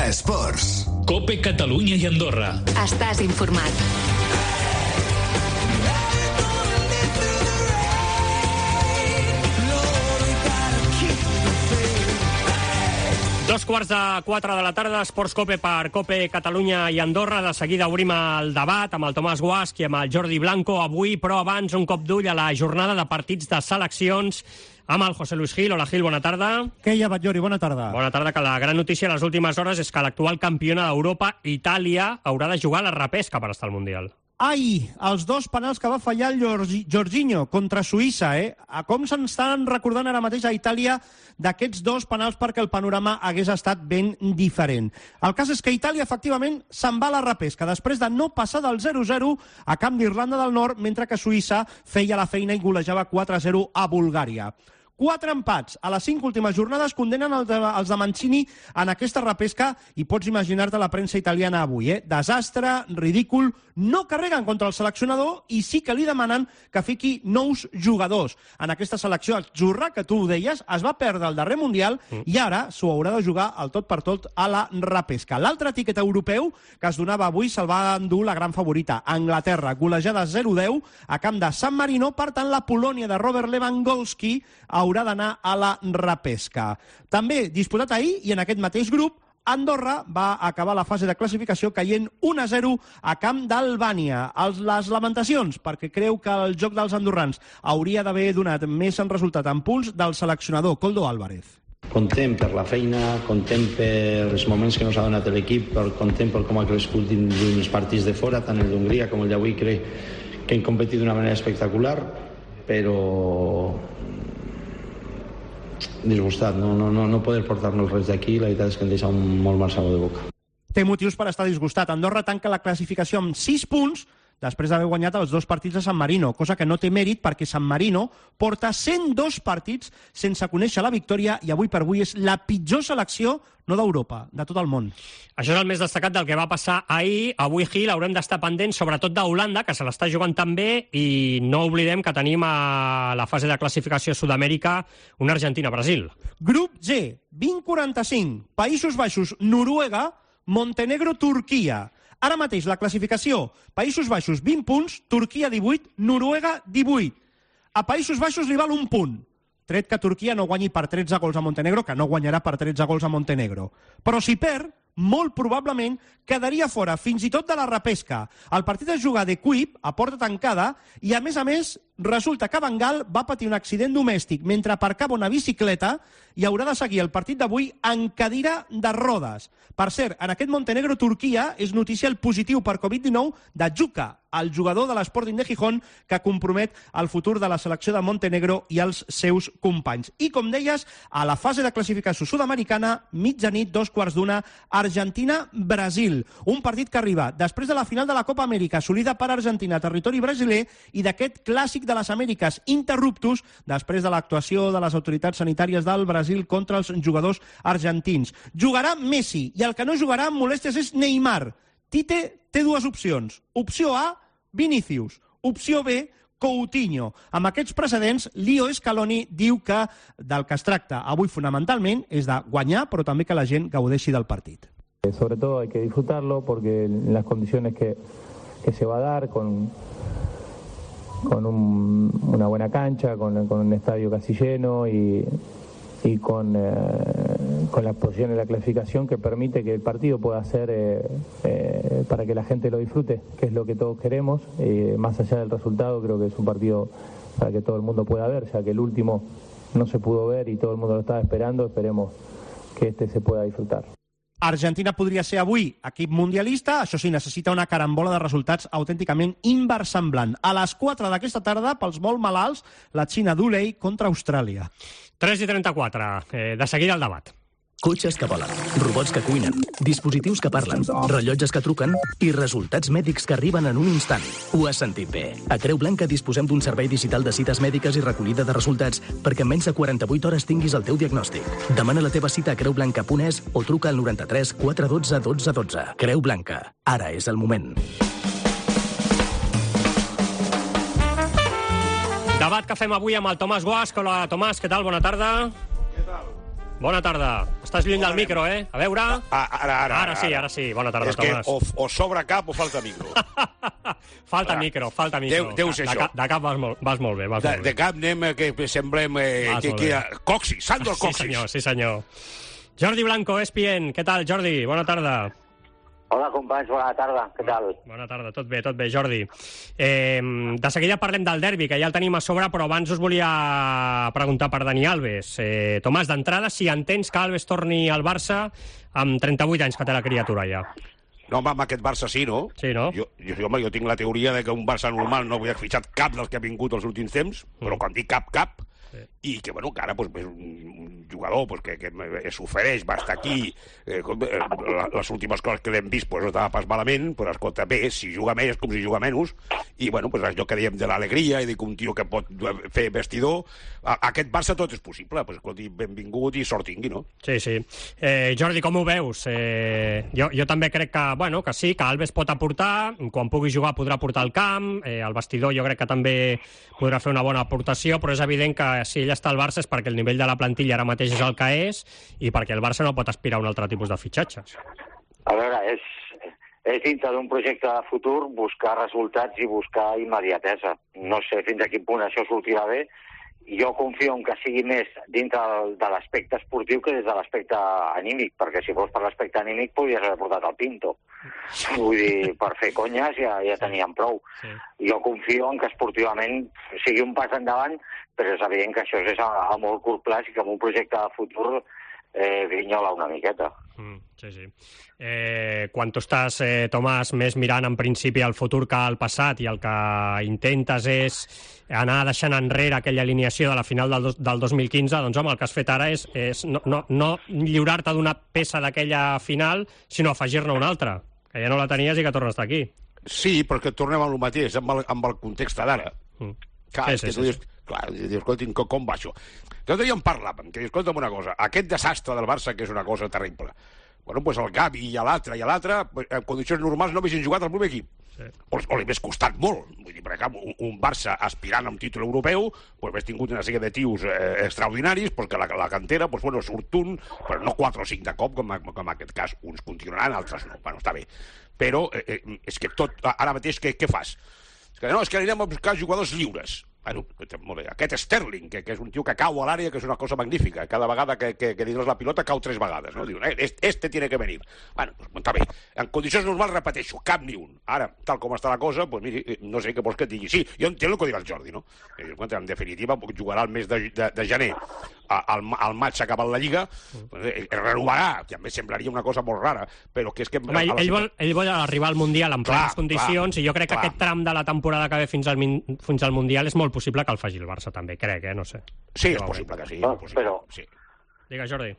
Esports. Cope Catalunya i Andorra. Estàs informat. Dos quarts de quatre de la tarda, Esports Cope per Cope Catalunya i Andorra. De seguida obrim el debat amb el Tomàs Guasch i amb el Jordi Blanco avui, però abans un cop d'ull a la jornada de partits de seleccions amb el José Luis Gil. Hola, Gil, bona tarda. Què hi ha, Batllori? Bona tarda. Bona tarda, que la gran notícia a les últimes hores és que l'actual campiona d'Europa, Itàlia, haurà de jugar a la repesca per estar al Mundial. Ai, els dos penals que va fallar el Jorginho contra Suïssa, eh? A com se'n estan recordant ara mateix a Itàlia d'aquests dos penals perquè el panorama hagués estat ben diferent. El cas és que Itàlia, efectivament, se'n va a la repesca després de no passar del zero zero a camp d'Irlanda del Nord, mentre que Suïssa feia la feina i golejava quatre a zero a Bulgària. Quatre empats a les cinc últimes jornades condenen els de, els de Mancini en aquesta repesca i pots imaginar-te la premsa italiana avui, eh? Desastre, ridícul, no carreguen contra el seleccionador i sí que li demanen que fiqui nous jugadors. En aquesta selecció, el Jurra, que tu ho deies, es va perdre el darrer Mundial i ara s'ho haurà de jugar al tot per tot a la repesca. L'altre tiquet europeu que es donava avui se'l va endur la gran favorita, Anglaterra, golejada zero a deu a camp de San Marino. Per tant, la Polònia de Robert Lewandowski haurà d'anar a la repesca. També disputat ahir i en aquest mateix grup, Andorra va acabar la fase de classificació caient un a zero a camp d'Albània. Les lamentacions, perquè creu que el joc dels andorrans hauria d'haver donat més en resultat en punts del seleccionador Koldo Álvarez. Content per la feina, content per els moments que ens ha donat l'equip, content per com ha crescut dins els partits de fora, tant el d'Hongria com el d'avui. Crec que hem competit d'una manera espectacular, però disgustat, no, no, no, no poder portar-nos res d'aquí, la veritat és que em deixa un molt mal sabor de boca. Té motius per estar disgustat. Andorra tanca la classificació amb sis punts després d'haver guanyat els dos partits de San Marino, cosa que no té mèrit perquè San Marino porta cent dos partits sense conèixer la victòria i avui per avui és la pitjor selecció, no d'Europa, de tot el món. Això és el més destacat del que va passar ahir. Avui, Gil, haurem d'estar pendents sobretot d'Holanda, que se l'està jugant també, i no oblidem que tenim a la fase de classificació a Sud-amèrica una Argentina-Brasil. Grup G, vint quaranta-cinc, Països Baixos, Noruega, Montenegro, Turquia. Ara mateix la classificació, Països Baixos vint punts, Turquia divuit, Noruega divuit. A Països Baixos li val un punt, tret que Turquia no guanyi per tretze gols a Montenegro, que no guanyarà per tretze gols a Montenegro. Però si perd, molt probablement quedaria fora fins i tot de la repesca. El partit es juga de cuip, a porta tancada, i a més a més resulta que Van Gaal va patir un accident domèstic mentre aparcava una bicicleta i haurà de seguir el partit d'avui en cadira de rodes. Per cert, en aquest Montenegro-Turquia és notícia el positiu per covid dinou de Juka, el jugador de l'Sporting de Gijón, que compromet el futur de la selecció de Montenegro i els seus companys. I com deies, a la fase de classificació sud-americana, mitjanit, dos quarts d'una, Argentina-Brasil. Un partit que arriba després de la final de la Copa Amèrica, assolida per Argentina, territori brasiler, i d'aquest clàssic de les Amèriques interruptus després de l'actuació de les autoritats sanitàries del Brasil contra els jugadors argentins. Jugarà Messi, i el que no jugarà amb molèsties és Neymar. Tite té dues opcions. Opció A, Vinícius. Opció B, Coutinho. Amb aquests precedents, Leo Scaloni diu que del que es tracta avui fonamentalment és de guanyar, però també que la gent gaudeixi del partit. Sobre todo hay que disfrutarlo porque en las condiciones que, que se va a dar, con, con un, una buena cancha, con, con un estadio casi lleno y, y con, eh, con las posiciones de la clasificación que permite que el partido pueda ser eh, eh, para que la gente lo disfrute, que es lo que todos queremos. Eh, más allá del resultado, creo que es un partido para que todo el mundo pueda ver, ya que el último no se pudo ver y todo el mundo lo estaba esperando. Esperemos que este se pueda disfrutar. Argentina podria ser avui equip mundialista, això sí, necessita una carambola de resultats autènticament inversemblant. A les quatre d'aquesta tarda, pels molt malalts, la Xina d'Ulei contra Austràlia. tres i trenta-quatre. Eh, de seguida el debat. Cotxes que volen, robots que cuinen, dispositius que parlen, rellotges que truquen i resultats mèdics que arriben en un instant. Ho has sentit bé. A Creu Blanca disposem d'un servei digital de cites mèdiques i recollida de resultats perquè en menys de quaranta-vuit hores tinguis el teu diagnòstic. Demana la teva cita a creu blanca punt es o truca al noranta-tres quatre dotze dotze dotze. Creu Blanca. Ara és el moment. Debat que fem avui amb el Tomàs Guasc. Hola, Tomàs, què tal? Bona tarda. Què tal? Bona tarda. Estàs lluny del micro, eh? A veure... Ah, ara, ara. Ara sí, ara sí. Bona tarda, és Tomàs. És que o, o sobra cap o falta micro. falta ara. micro, falta micro. Deu, deu ser de, això. De, de cap vas molt, vas molt bé. Vas de, molt bé. de cap anem eh, que semblem... Eh, que, que, Coxi, Sandor Coxis. Sí, senyor, sí, senyor. Jordi Blanco, E S P N. Què tal, Jordi? Bona tarda. Hola, companys, bona tarda. Què tal? Bona tarda, tot bé, tot bé, Jordi. Eh, de seguida parlem del derbi, que ja el tenim a sobre, però abans us volia preguntar per Dani Alves. Eh, Tomàs, d'entrada, si entens que Alves torni al Barça amb trenta-vuit anys que té la criatura ja. No, home, amb aquest Barça sí, no? Sí, no? Jo, jo, home, jo tinc la teoria de que un Barça normal no havia fitxat cap dels que ha vingut els últims temps, mm. però quan dic cap, cap, sí. I que, bueno, que ara pues, és un jugador pues, que, que s'ofereix, va estar aquí, eh, les últimes coses que l'hem vist pues, no estava pas malament, però escolta, bé, si juga més com si juga menys, i bueno, pues, allò que dèiem de l'alegria i de que un tio que pot fer vestidor, a, aquest Barça tot és possible, pues, escolti, benvingut i sort tingui, no? Sí, sí. Eh, Jordi, com ho veus? Eh, jo, jo també crec que, bueno, que sí, que Alves pot aportar, quan pugui jugar podrà portar al camp, eh, el vestidor jo crec que també podrà fer una bona aportació, però és evident que si ell està al Barça és perquè el nivell de la plantilla ara mateix és el que és i perquè el Barça no pot aspirar a un altre tipus de fitxatges. A veure, és, és dintre d'un projecte de futur buscar resultats i buscar immediatesa. No sé fins a quin punt això sortirà bé. Jo confio en que sigui més dintre de l'aspecte esportiu que des de l'aspecte anímic, perquè si fos per l'aspecte anímic podries haver portat el Pinto. Vull dir, per fer conyes ja, ja teníem prou. Sí. Jo confio en que esportivament sigui un pas endavant, però és evident que això és a, a molt curt plaç i que amb un projecte de futur eh, grinyola una miqueta. Mm, sí, sí. Eh, quan tu estàs, eh, Tomàs, més mirant en principi el futur que el passat i el que intentes és anar deixant enrere aquella alineació de la final del, dos, del dos mil quinze, doncs home, el que has fet ara és, és no, no, no lliurar-te d'una peça d'aquella final, sinó afegir-ne una altra, que ja no la tenies i que torna a estar aquí. Sí, perquè tornem al mateix, amb el, amb el context d'ara. Mm. Clar, sí, sí, que tu dius, sí. Clar, dius, escolta, com va això? L'altre dia en parlàvem, que dius, escolta'm una cosa, aquest desastre del Barça, que és una cosa terrible, bueno, doncs el Gavi i l'altre i l'altre, en condicions normals no haguessin jugat al primer equip. Sí. O, o li hagués costat molt. Vull dir, per exemple, un, un Barça aspirant a un títol europeu, doncs hagués tingut una sèrie de tios eh, extraordinaris, perquè la, la cantera, doncs, bueno, surt un, però no quatre o cinc de cop, com, com en aquest cas. Uns continuaran, altres no. Bueno, està bé. Però eh, és que tot, ara mateix, què, què fas? És que no, és que anirem a buscar jugadors lliures. Bueno, molt bé. Aquest Sterling, que, que és un tio que cau a l'àrea, que és una cosa magnífica. Cada vegada que, que, que dins la pilota cau tres vegades. No? Diuen, eh, este tiene que venir. Bueno, pues, està bé. En condicions normals, repeteixo, cap ni un. Ara, tal com està la cosa, pues, miri, no sé què vols que et digui. Sí, jo entenc el que diu el Jordi, no? En definitiva, jugarà el mes de, de, de gener. Al, al maig s'ha acabat la Lliga, pues, renovarà, que a més semblaria una cosa molt rara, però que és que... Home, ell, ell, vol, ell vol arribar al Mundial en plenes condicions, clar, i jo crec clar. que aquest tram de la temporada que ve fins al, fins al Mundial és molt possible que el faci el Barça també, crec, eh? No sé. Sí, és possible que sí. No, possible, però... sí. Digues, Jordi.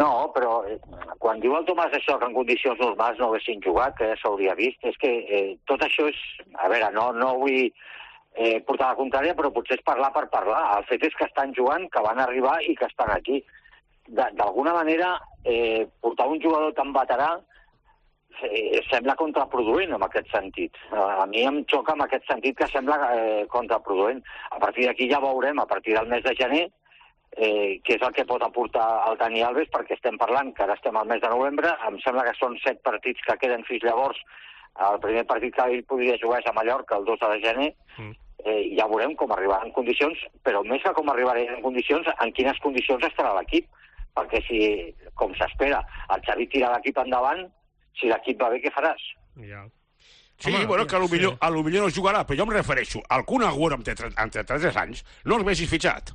No, però eh, quan diu el Tomàs això, que en condicions normals no haguessin jugat, que ja s'hauria vist, és que eh, tot això és... A veure, no, no vull... Eh, portar la contrària, però potser és parlar per parlar. El fet és que estan jugant, que van arribar i que estan aquí. D'alguna manera, eh, portar un jugador tan veterà eh, sembla contraproduent en aquest sentit. A mi em xoca en aquest sentit que sembla eh, contraproduent. A partir d'aquí ja veurem, a partir del mes de gener, eh, què és el que pot aportar el Dani Alves, perquè estem parlant que ara estem al mes de novembre, em sembla que són set partits que queden fins llavors. El primer partit que ell podria jugar és a Mallorca el dos de gener, mm. Eh, ja veurem com arribarà en condicions, però més que com arribarà en condicions, en quines condicions estarà l'equip. Perquè si, com s'espera, el Xavi tira l'equip endavant, si l'equip va bé, què faràs? Ja. Sí, home, bueno, que potser sí. no jugarà, però jo em refereixo al Kun Agüero amb trenta-tres anys, no els vegis fitxat.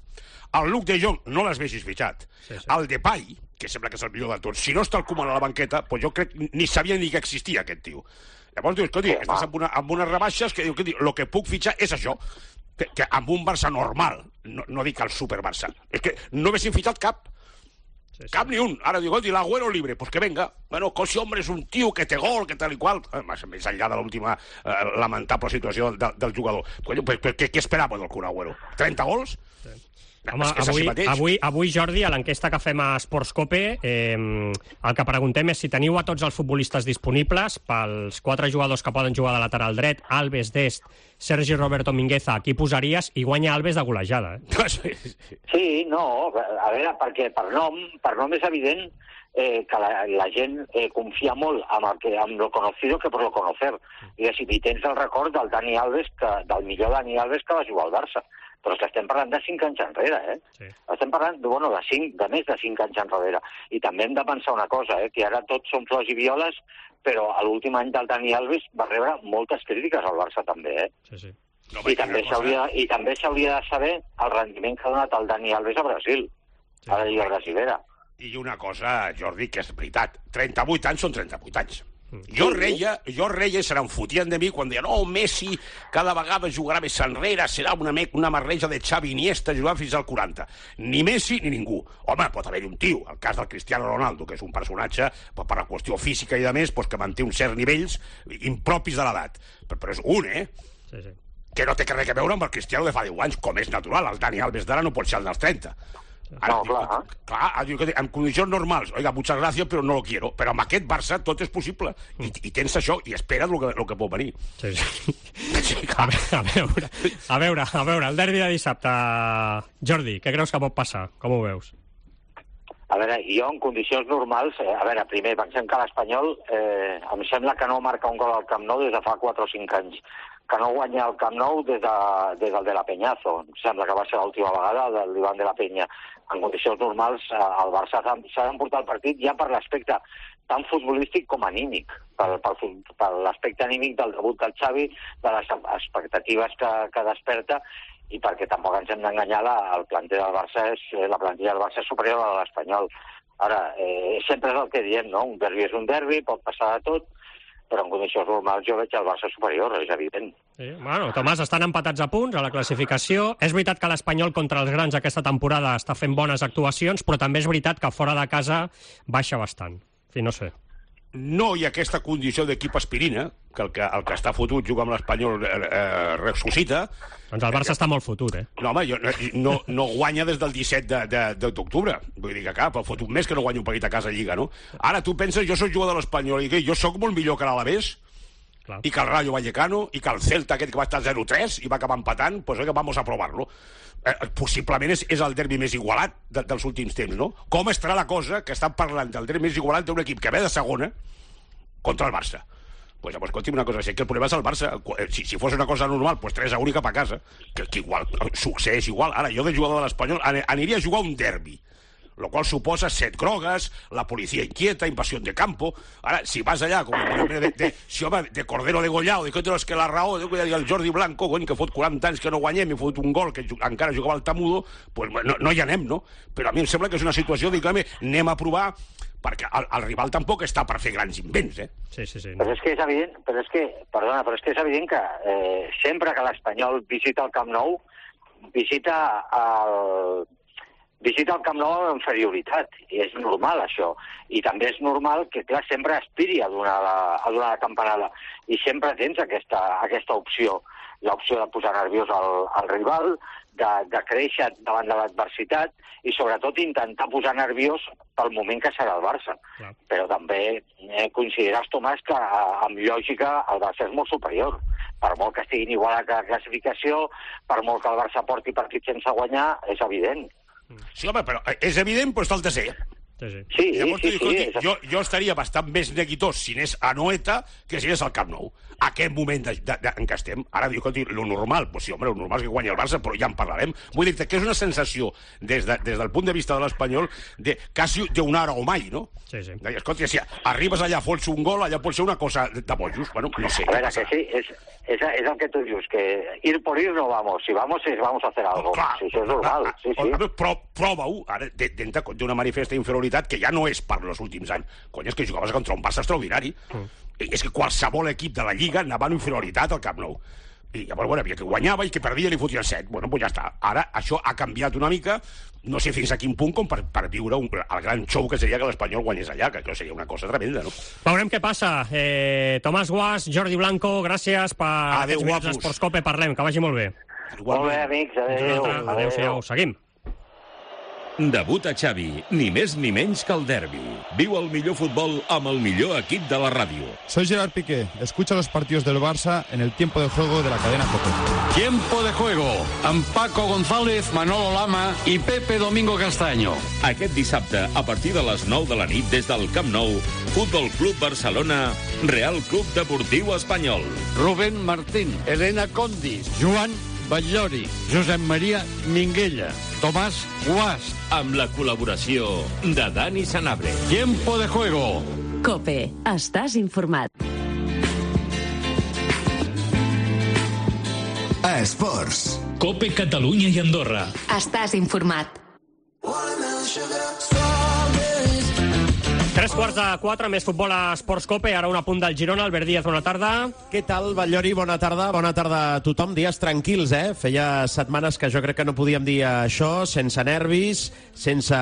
El Luke de Jong no les vegis fitxat. Sí, sí. El Depay, que sembla que és el millor de tots, si no està el Koeman a la banqueta, doncs jo crec ni sabia ni que existia aquest tio. Llavors dius, escolti, sí, estàs amb, una, amb unes rebaixes que diu, que el que puc fitxar és això, que, que amb un Barça normal, no, no dic el super Barça, és que no haguessin fitxat cap. Sí, sí. Cap ni un. Ara digo, i l'Agüero libre, pues que venga. Bueno, Cosi, hombre, és un tio que té gol, que tal i qual. Eh, més enllà de l'última eh, lamentable situació del, del jugador. Pues, pues, què, què esperava del Kun Agüero? trenta gols? Sí. Home, avui, avui, avui, Jordi, a l'enquesta que fem a Sports Cope, eh, el que preguntem és si teniu a tots els futbolistes disponibles pels quatre jugadors que poden jugar de lateral dret, Alves, Dest, Sergi Roberto Mingueza, qui posaries? I guanya Alves de golejada. Eh? Sí, no, a veure, perquè per nom, per nom és evident eh, que la, la gent eh, confia molt amb, el que, amb lo conocido que por lo conocer. I si tens el record del Dani Alves, que, del millor Dani Alves que va jugar al Barça. Però és que estem parlant de cinc anys enrere, eh? Sí. Estem parlant de, bueno, de, cinc, de més de cinc anys enrere. I també hem de pensar una cosa, eh? Que ara tots són flors i violes, però a l'últim any del Dani Alves va rebre moltes crítiques al Barça també, eh? Sí, sí. No, I, també cosa... I també s'hauria de saber el rendiment que ha donat el Dani Alves a Brasil, sí, a la Lliga Brasilera. I una cosa, Jordi, que és veritat, trenta-vuit anys són trenta-vuit anys. Jo reia, jo reia i se n'enfotien de mi quan deia no, Messi cada vegada jugarà més enrere, serà una, una marreja de Xavi Iniesta jugant fins al quaranta. Ni Messi ni ningú. Home, pot haver-hi un tio, el cas del Cristiano Ronaldo, que és un personatge per la qüestió física i de més, pues, que manté uns certs nivells impropis de l'edat. Però, però és un, eh? Sí, sí. Que no té res a veure amb el Cristiano de fa deu anys, com és natural. El Dani Alves d'ara no pot ser el dels trenta. Ara, no, clar, diu, clar diu, en condicions normals, oiga, muchas gracias, però no lo quiero. Però amb aquest Barça tot és possible. I, i tens això, i espera't el que, el que pot venir. Sí, sí. Sí, a, a, veure, a veure, a veure, el derbi de dissabte, Jordi, què creus que pot passar? Com ho veus? A veure, jo en condicions normals, eh, a veure, primer, pensem que l'Espanyol eh, em sembla que no marca un gol al Camp Nou des de fa quatre o cinc anys, que no guanya el Camp Nou des, de, des del de la Peñazo. Em sembla que va ser l'última vegada del l'Ivan de la Peña. En condicions normals, el Barça s'ha d'emportar el partit ja per l'aspecte tant futbolístic com anímic, per, per, per l'aspecte anímic del debut del Xavi, de les expectatives que, que desperta, i perquè tampoc ens hem d'enganyar, el planter del Barça és, la plantilla del Barça és superior a l'Espanyol. Ara, eh, sempre és el que diem, no? Un derbi és un derbi, pot passar de tot, però en condicions normals jo veig el Barça superior, és evident. Sí, bueno, Tomàs, estan empatats a punts a la classificació. És veritat que l'Espanyol contra els grans aquesta temporada està fent bones actuacions, però també és veritat que fora de casa baixa bastant. En fi, no sé. No hi ha aquesta condició d'equip aspirina, que el que, el que està fotut juga amb l'Espanyol eh, eh, ressuscita. Doncs el Barça eh, està molt fotut, eh? No, home, jo, no, no guanya des del disset d'octubre. Vull dir que cap, el fotut més que no guanya un partit a casa a Lliga, no? Ara tu penses, jo soc jugador de l'Espanyol i que jo sóc molt millor que l'Alavés, i que el Rayo Vallecano, i que el Celta aquest que va estar zero tres i va acabar empatant, doncs pues, oiga, vamos a provar-lo. Eh, possiblement és, és el derbi més igualat de, dels últims temps, no? Com estarà la cosa que estan parlant del derbi més igualat d'un equip que ve de segona contra el Barça? Pues llavors, escolti'm una cosa, sé que el problema és el Barça. Si, si fos una cosa normal, pues tres a un i cap a casa. Que, que igual, succeeix igual. Ara, jo de jugador de l'Espanyol aniria a jugar un derbi, lo qual suposa set grogues, la policia inquieta, invasión de campo. Ara, si vas allà, com de, de, de, si, home, de Cordero degollado, de que és que la raó, de que el Jordi Blanco, coi, que fot quaranta anys que no guanyem i fot un gol que encara jugava al Tamudo, pues no, no hi anem, no? Però a mi em sembla que és una situació, diguem, anem a provar, perquè el, el rival tampoc està per fer grans invents, eh? Sí, sí, sí. Però és que és evident, però és que, perdona, però és que és evident que eh, sempre que l'Espanyol visita el Camp Nou, visita el... visita el Camp Nou amb inferioritat, i és normal això, i també és normal que, clar, sempre aspiri a donar la, a donar la campanada, i sempre tens aquesta, aquesta opció, l'opció de posar nerviós al, al rival, de, de créixer davant de l'adversitat, i sobretot intentar posar nerviós pel moment que serà el Barça. Clar. Però també eh, consideres, Tomàs, que amb lògica el Barça és molt superior. Per molt que estiguin igual a la classificació, per molt que el Barça porti partits sense guanyar, és evident. Sí, home, però és evident, però està el tercer. Sí, sí. Sí, Llavors, sí, escolti, sí, jo, jo estaria bastant més neguitós si anés a Noeta que si anés al Camp Nou. Aquest moment de, de, de, en què estem. Ara diu, escolti, lo normal, pues sí, home, lo normal és que guanyi el Barça, però ja en parlarem. Vull dir que és una sensació, des, de, des del punt de vista de l'Espanyol, de quasi d'un ara o mai, no? Sí, sí. I, escolti, si arribes allà, fots un gol, allà pot ser una cosa de, de bojos. Bueno, no sé. A veure, que sí, és, és, és el que tu dius, que ir por ir no vamos, si vamos, es vamos a hacer algo. Clar, sí, això és normal, sí, sí. Però prova-ho, ara, d'una manifesta inferioritat que ja no és per els últims anys. Cony, és que jugaves contra un Barça extraordinari. Mm. És que qualsevol equip de la Lliga anava en inferioritat al Camp Nou. I llavors, bueno, havia que guanyava i que perdia i li fotien set. Bueno, doncs ja està. Ara això ha canviat una mica, no sé fins a quin punt, com per, per viure un, el gran show que seria que l'Espanyol guanyés allà, que això seria una cosa tremenda, no? Veurem què passa. Eh, Tomàs Guas, Jordi Blanco, gràcies per Adéu, aquests minuts d'Esports Cope. Parlem, que vagi molt bé. Molt bé, amics, adéu. Adéu-siau, seguim. Debuta Xavi, ni més ni menys que el derbi. Viu el millor futbol amb el millor equip de la ràdio. Soy Gerard Piqué. Escucha los partidos del Barça en el tiempo de juego de la cadena COPE. Tiempo de juego amb Paco González, Manolo Lama i Pepe Domingo Castaño. Aquest dissabte, a partir de les nou de la nit, des del Camp Nou, Futbol Club Barcelona, Real Club Deportiu Espanyol. Rubén Martín, Elena Condis, Joan Batllori, Josep Maria Minguella, Tomàs Guas. Amb la col·laboració de Dani Sanabria. Tiempo de juego. COPE. Estàs informat. Esports. COPE Catalunya i Andorra. Estàs informat. Tres quarts de quatre, més futbol a Esports Cope. Ara un apunt del Girona. Albert Díaz, bona tarda. Què tal, Batllori? Bona tarda. Bona tarda a tothom. Dies tranquils, eh? Feia setmanes que jo crec que no podíem dir això, sense nervis, sense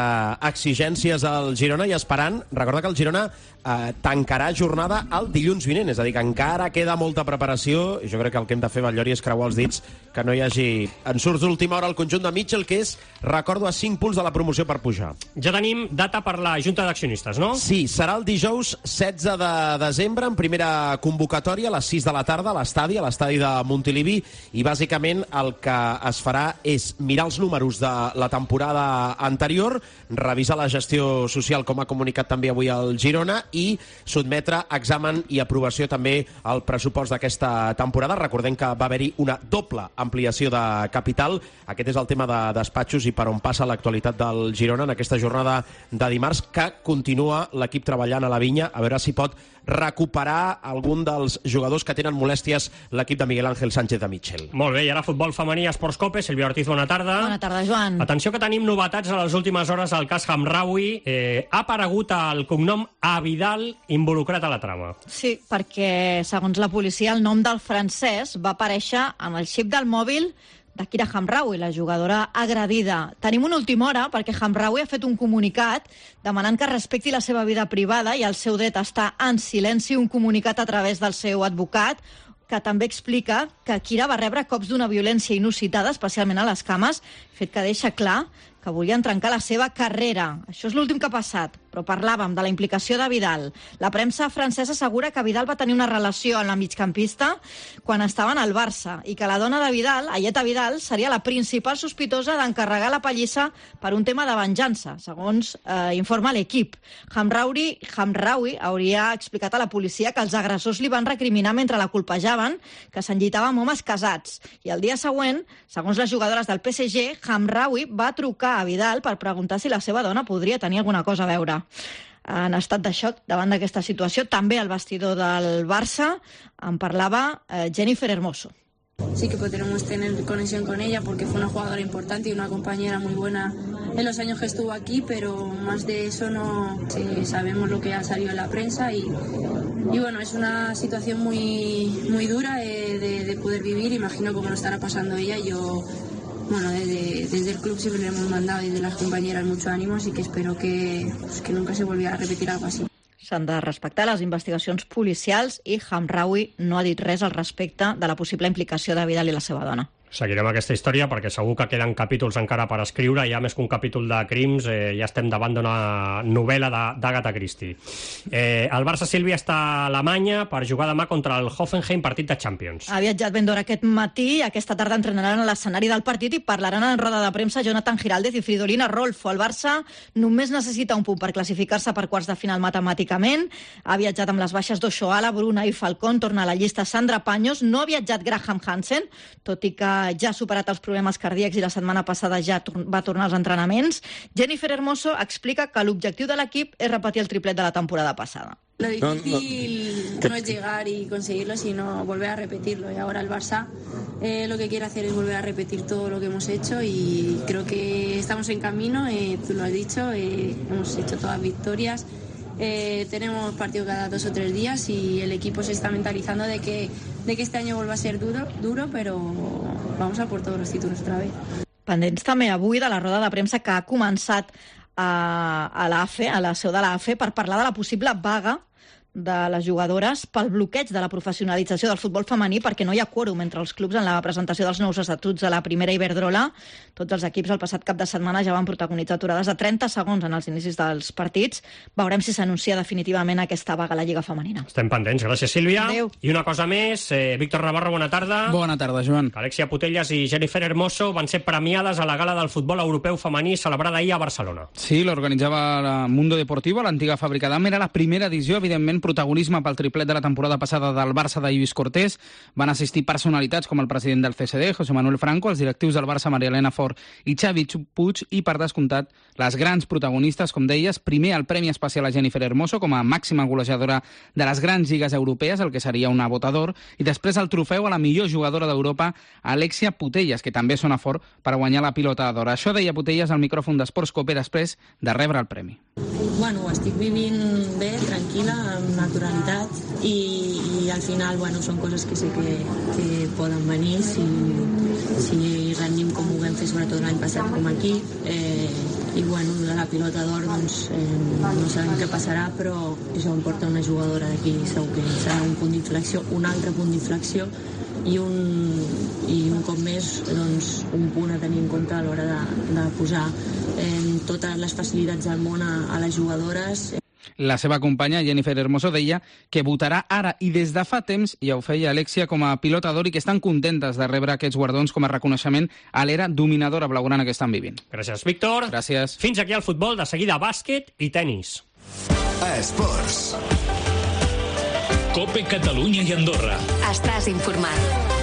exigències al Girona i esperant. Recorda que el Girona eh, tancarà jornada el dilluns vinent, és a dir, que encara queda molta preparació i jo crec que el que hem de fer, Batllori, és creuar els dits que no hi hagi ensurts d'última hora al conjunt de Mitchell, que és, recordo, a cinc punts de la promoció per pujar. Ja tenim data per la Junta d'Accionistes, no? Sí, serà el dijous setze de desembre, en primera convocatòria, a les sis de la tarda, a l'estadi, a l'estadi de Montilivi, i bàsicament el que es farà és mirar els números de la temporada anterior, revisar la gestió social, com ha comunicat també avui el Girona, i sotmetre examen i aprovació també al pressupost d'aquesta temporada. Recordem que va haver-hi una doble ampliació de capital. Aquest és el tema de despatxos i per on passa l'actualitat del Girona en aquesta jornada de dimarts, que continua l'equip treballant a la Vinya, a veure si pot recuperar algun dels jugadors que tenen molèsties l'equip de Miguel Ángel Sánchez de Mitchell. Molt bé, i ara futbol femení a Esports Cope. Sílvia Ortiz, bona tarda. Bona tarda, Joan. Atenció que tenim novetats a les últimes hores al cas Hamraoui. Eh, ha aparegut el cognom Abidal involucrat a la trama. Sí, perquè, segons la policia, el nom del francès va aparèixer en el xip del mòbil de Kira Hamraoui, la jugadora agredida. Tenim una última hora perquè Hamraoui ha fet un comunicat demanant que respecti la seva vida privada i el seu dret a estar en silenci, un comunicat a través del seu advocat, que també explica que Kira va rebre cops d'una violència inusitada, especialment a les cames, fet que deixa clar que volien trencar la seva carrera. Això és l'últim que ha passat, però parlàvem de la implicació de Vidal. La premsa francesa assegura que Vidal va tenir una relació amb la migcampista quan estaven al Barça i que la dona de Vidal, Ayeta Vidal, seria la principal sospitosa d'encarregar la pallissa per un tema de venjança, segons eh, informa l'equip. Hamraoui, Hamraoui hauria explicat a la policia que els agressors li van recriminar mentre la colpejaven, que s'enllitava amb homes casats. I el dia següent, segons les jugadores del P S G, Hamraoui va trucar a Vidal per preguntar si la seva dona podria tenir alguna cosa a veure. En estat de xoc davant d'aquesta situació, també al vestidor del Barça en parlava eh, Jennifer Hermoso. Sí que podremos tener conexión con ella porque fue una jugadora importante y una compañera muy buena en los años que estuvo aquí, pero más de eso no sí, sabemos lo que ha salido en la prensa y, y bueno, es una situación muy, muy dura eh, de, de poder vivir. Imagino cómo lo estará pasando ella. Yo Bueno, desde, desde el club siempre le hemos mandado desde las compañeras mucho ánimo, así que espero que, pues, que nunca se volviera a repetir algo así. S'han de respectar les investigacions policials i Hamraoui no ha dit res al respecte de la possible implicació de Vidal i la seva dona. Seguirem aquesta història perquè segur que queden capítols encara per escriure, ja més que un capítol de crims, eh, ja estem davant d'una novel·la d'Agatha Christie. Eh, el Barça, Sílvia, està a Alemanya per jugar demà contra el Hoffenheim, partit de Champions. Ha viatjat ben d'hora aquest matí, aquesta tarda entrenaran a l'escenari del partit i parlaran en roda de premsa Jonathan Giraldez i Fridolina Rolfo. El Barça només necessita un punt per classificar-se per quarts de final matemàticament. Ha viatjat amb les baixes d'Oshoala, Bruna i Falcón, torna a la llista Sandra Paños, no ha viatjat Graham Hansen, tot i que ja ha superat els problemes cardíacs i la setmana passada ja va tornar als entrenaments. Jennifer Hermoso explica que l'objectiu de l'equip és repetir el triplet de la temporada passada. Lo difícil no, no, no es llegar y conseguirlo, sino volver a repetirlo. Y ahora el Barça eh, lo que quiere hacer es volver a repetir todo lo que hemos hecho y creo que estamos en camino, eh, tú lo has dicho, eh, hemos hecho todas victorias. Eh, tenemos partido cada dos o tres días y el equipo se está mentalizando de que, de que este año vuelva a ser duro, duro, pero vamos a por todos los títulos otra vez. Pendents també avui de la roda de premsa que ha començat a, a l'A F E, a la seu de l'A F E, per parlar de la possible vaga de les jugadores pel bloqueig de la professionalització del futbol femení perquè no hi ha quòrum entre els clubs en la presentació dels nous estatuts de la primera Iberdrola. Tots els equips el passat cap de setmana ja van protagonitzar aturades de trenta segons en els inicis dels partits. Veurem si s'anuncia definitivament aquesta vaga a la Lliga Femenina. Estem pendents. Gràcies, Sílvia. Adéu. I una cosa més, eh, Víctor Navarro, bona tarda. Bona tarda, Joan. Alexia Putellas i Jennifer Hermoso van ser premiades a la gala del futbol europeu femení celebrada ahir a Barcelona. Sí, l'organitzava la Mundo Deportivo, l'antiga fàbrica d'Am. Era la primera edició, evidentment, protagonisme pel triplet de la temporada passada del Barça de Lluís Cortés. Van assistir personalitats com el president del C S D, José Manuel Franco, els directius del Barça, Maria Elena Fort i Xavi Puig, i, per descomptat, les grans protagonistes, com deies, primer el Premi Especial a Jennifer Hermoso com a màxima golejadora de les grans lligues europees, el que seria una votador, i després el trofeu a la millor jugadora d'Europa, Alexia Putellas, que també sona fort per guanyar la pilota d'or. Això deia Putellas al micròfon d'Esports Cope després de rebre el premi. Bueno, ho estic vivint bé, tranquil·la, amb naturalitat i, i al final, bueno, són coses que sé que, que poden venir si, si rendim com ho vam fer sobretot l'any passat com a equip eh, i bueno, de la pilota d'or doncs eh, no sabem què passarà, però això em porta una jugadora d'aquí, segur que serà un punt d'inflexió, un altre punt d'inflexió i un, i un cop més doncs, un punt a tenir en compte a l'hora de, de posar eh, totes les facilitats del món a, a les jugadores. La seva companya, Jennifer Hermoso, deia que votarà ara i des de fa temps, ja ho feia Alexia, com a pilota d'or i que estan contentes de rebre aquests guardons com a reconeixement a l'era dominadora blaugrana que estan vivint. Gràcies, Víctor. Gràcies. Fins aquí el futbol, de seguida bàsquet i tenis. Esports. Cope Catalunya i Andorra. Estàs informat.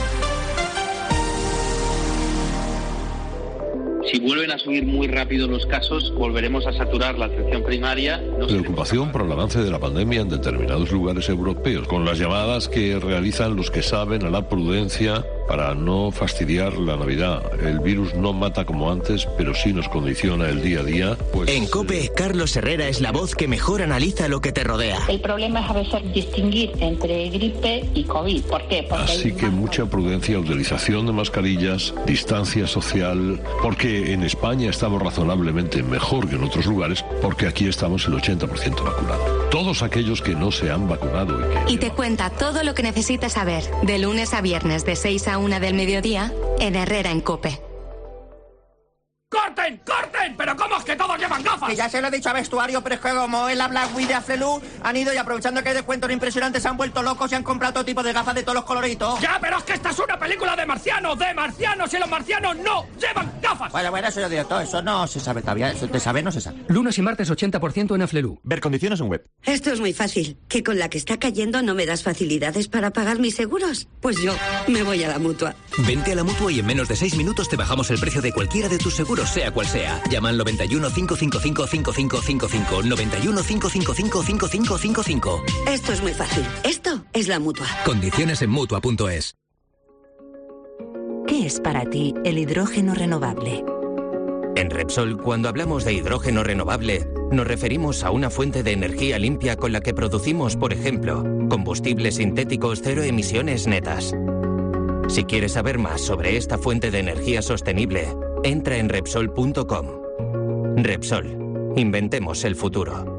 Si vuelven a subir muy rápido los casos, volveremos a saturar la atención primaria. No Preocupación por el avance de la pandemia en determinados lugares europeos, con las llamadas que realizan los que saben a la prudencia para no fastidiar la Navidad. El virus no mata como antes, pero sí nos condiciona el día a día. Pues... En COPE, Carlos Herrera es la voz que mejor analiza lo que te rodea. El problema es a veces distinguir entre gripe y COVID. ¿Por qué? Porque Así que mucha prudencia, utilización de mascarillas, distancia social, porque en España estamos razonablemente mejor que en otros lugares, porque aquí estamos el ochenta por ciento vacunados. Todos aquellos que no se han vacunado y que... Y te cuenta todo lo que necesitas saber, de lunes a viernes de seis a una del mediodía, en Herrera en COPE. ¡Corten! ¡Corten! ¿Pero cómo es que todos llevan gafas? Que ya se lo he dicho a vestuario, pero es que como es la Black Week de Aflelu, han ido y aprovechando que hay descuentos impresionantes se han vuelto locos y han comprado todo tipo de gafas de todos los coloritos. Ya, pero es que esta es una película de marcianos, de marcianos, y los marcianos no llevan gafas. Bueno, bueno, eso yo digo todo, eso no se sabe todavía, eso de saber no se sabe. Lunes y martes ochenta por ciento en Aflelu. Ver condiciones en web. Esto es muy fácil. ¿Que con la que está cayendo no me das facilidades para pagar mis seguros? Pues yo me voy a la Mutua. Vente a la Mutua y en menos de seis minutos te bajamos el precio de cualquiera de tus seguros, sea cual sea. Llama al noventa y uno, cinco cinco cinco, cinco cinco cinco cinco, noventa y uno, cinco cinco cinco, cinco cinco cinco cinco. Esto es muy fácil. Esto es la Mutua. Condiciones en Mutua punto es. ¿Qué es para ti el hidrógeno renovable? En Repsol, cuando hablamos de hidrógeno renovable, nos referimos a una fuente de energía limpia con la que producimos, por ejemplo, combustibles sintéticos cero emisiones netas. Si quieres saber más sobre esta fuente de energía sostenible, entra en Repsol punto com. Repsol. Inventemos el futuro.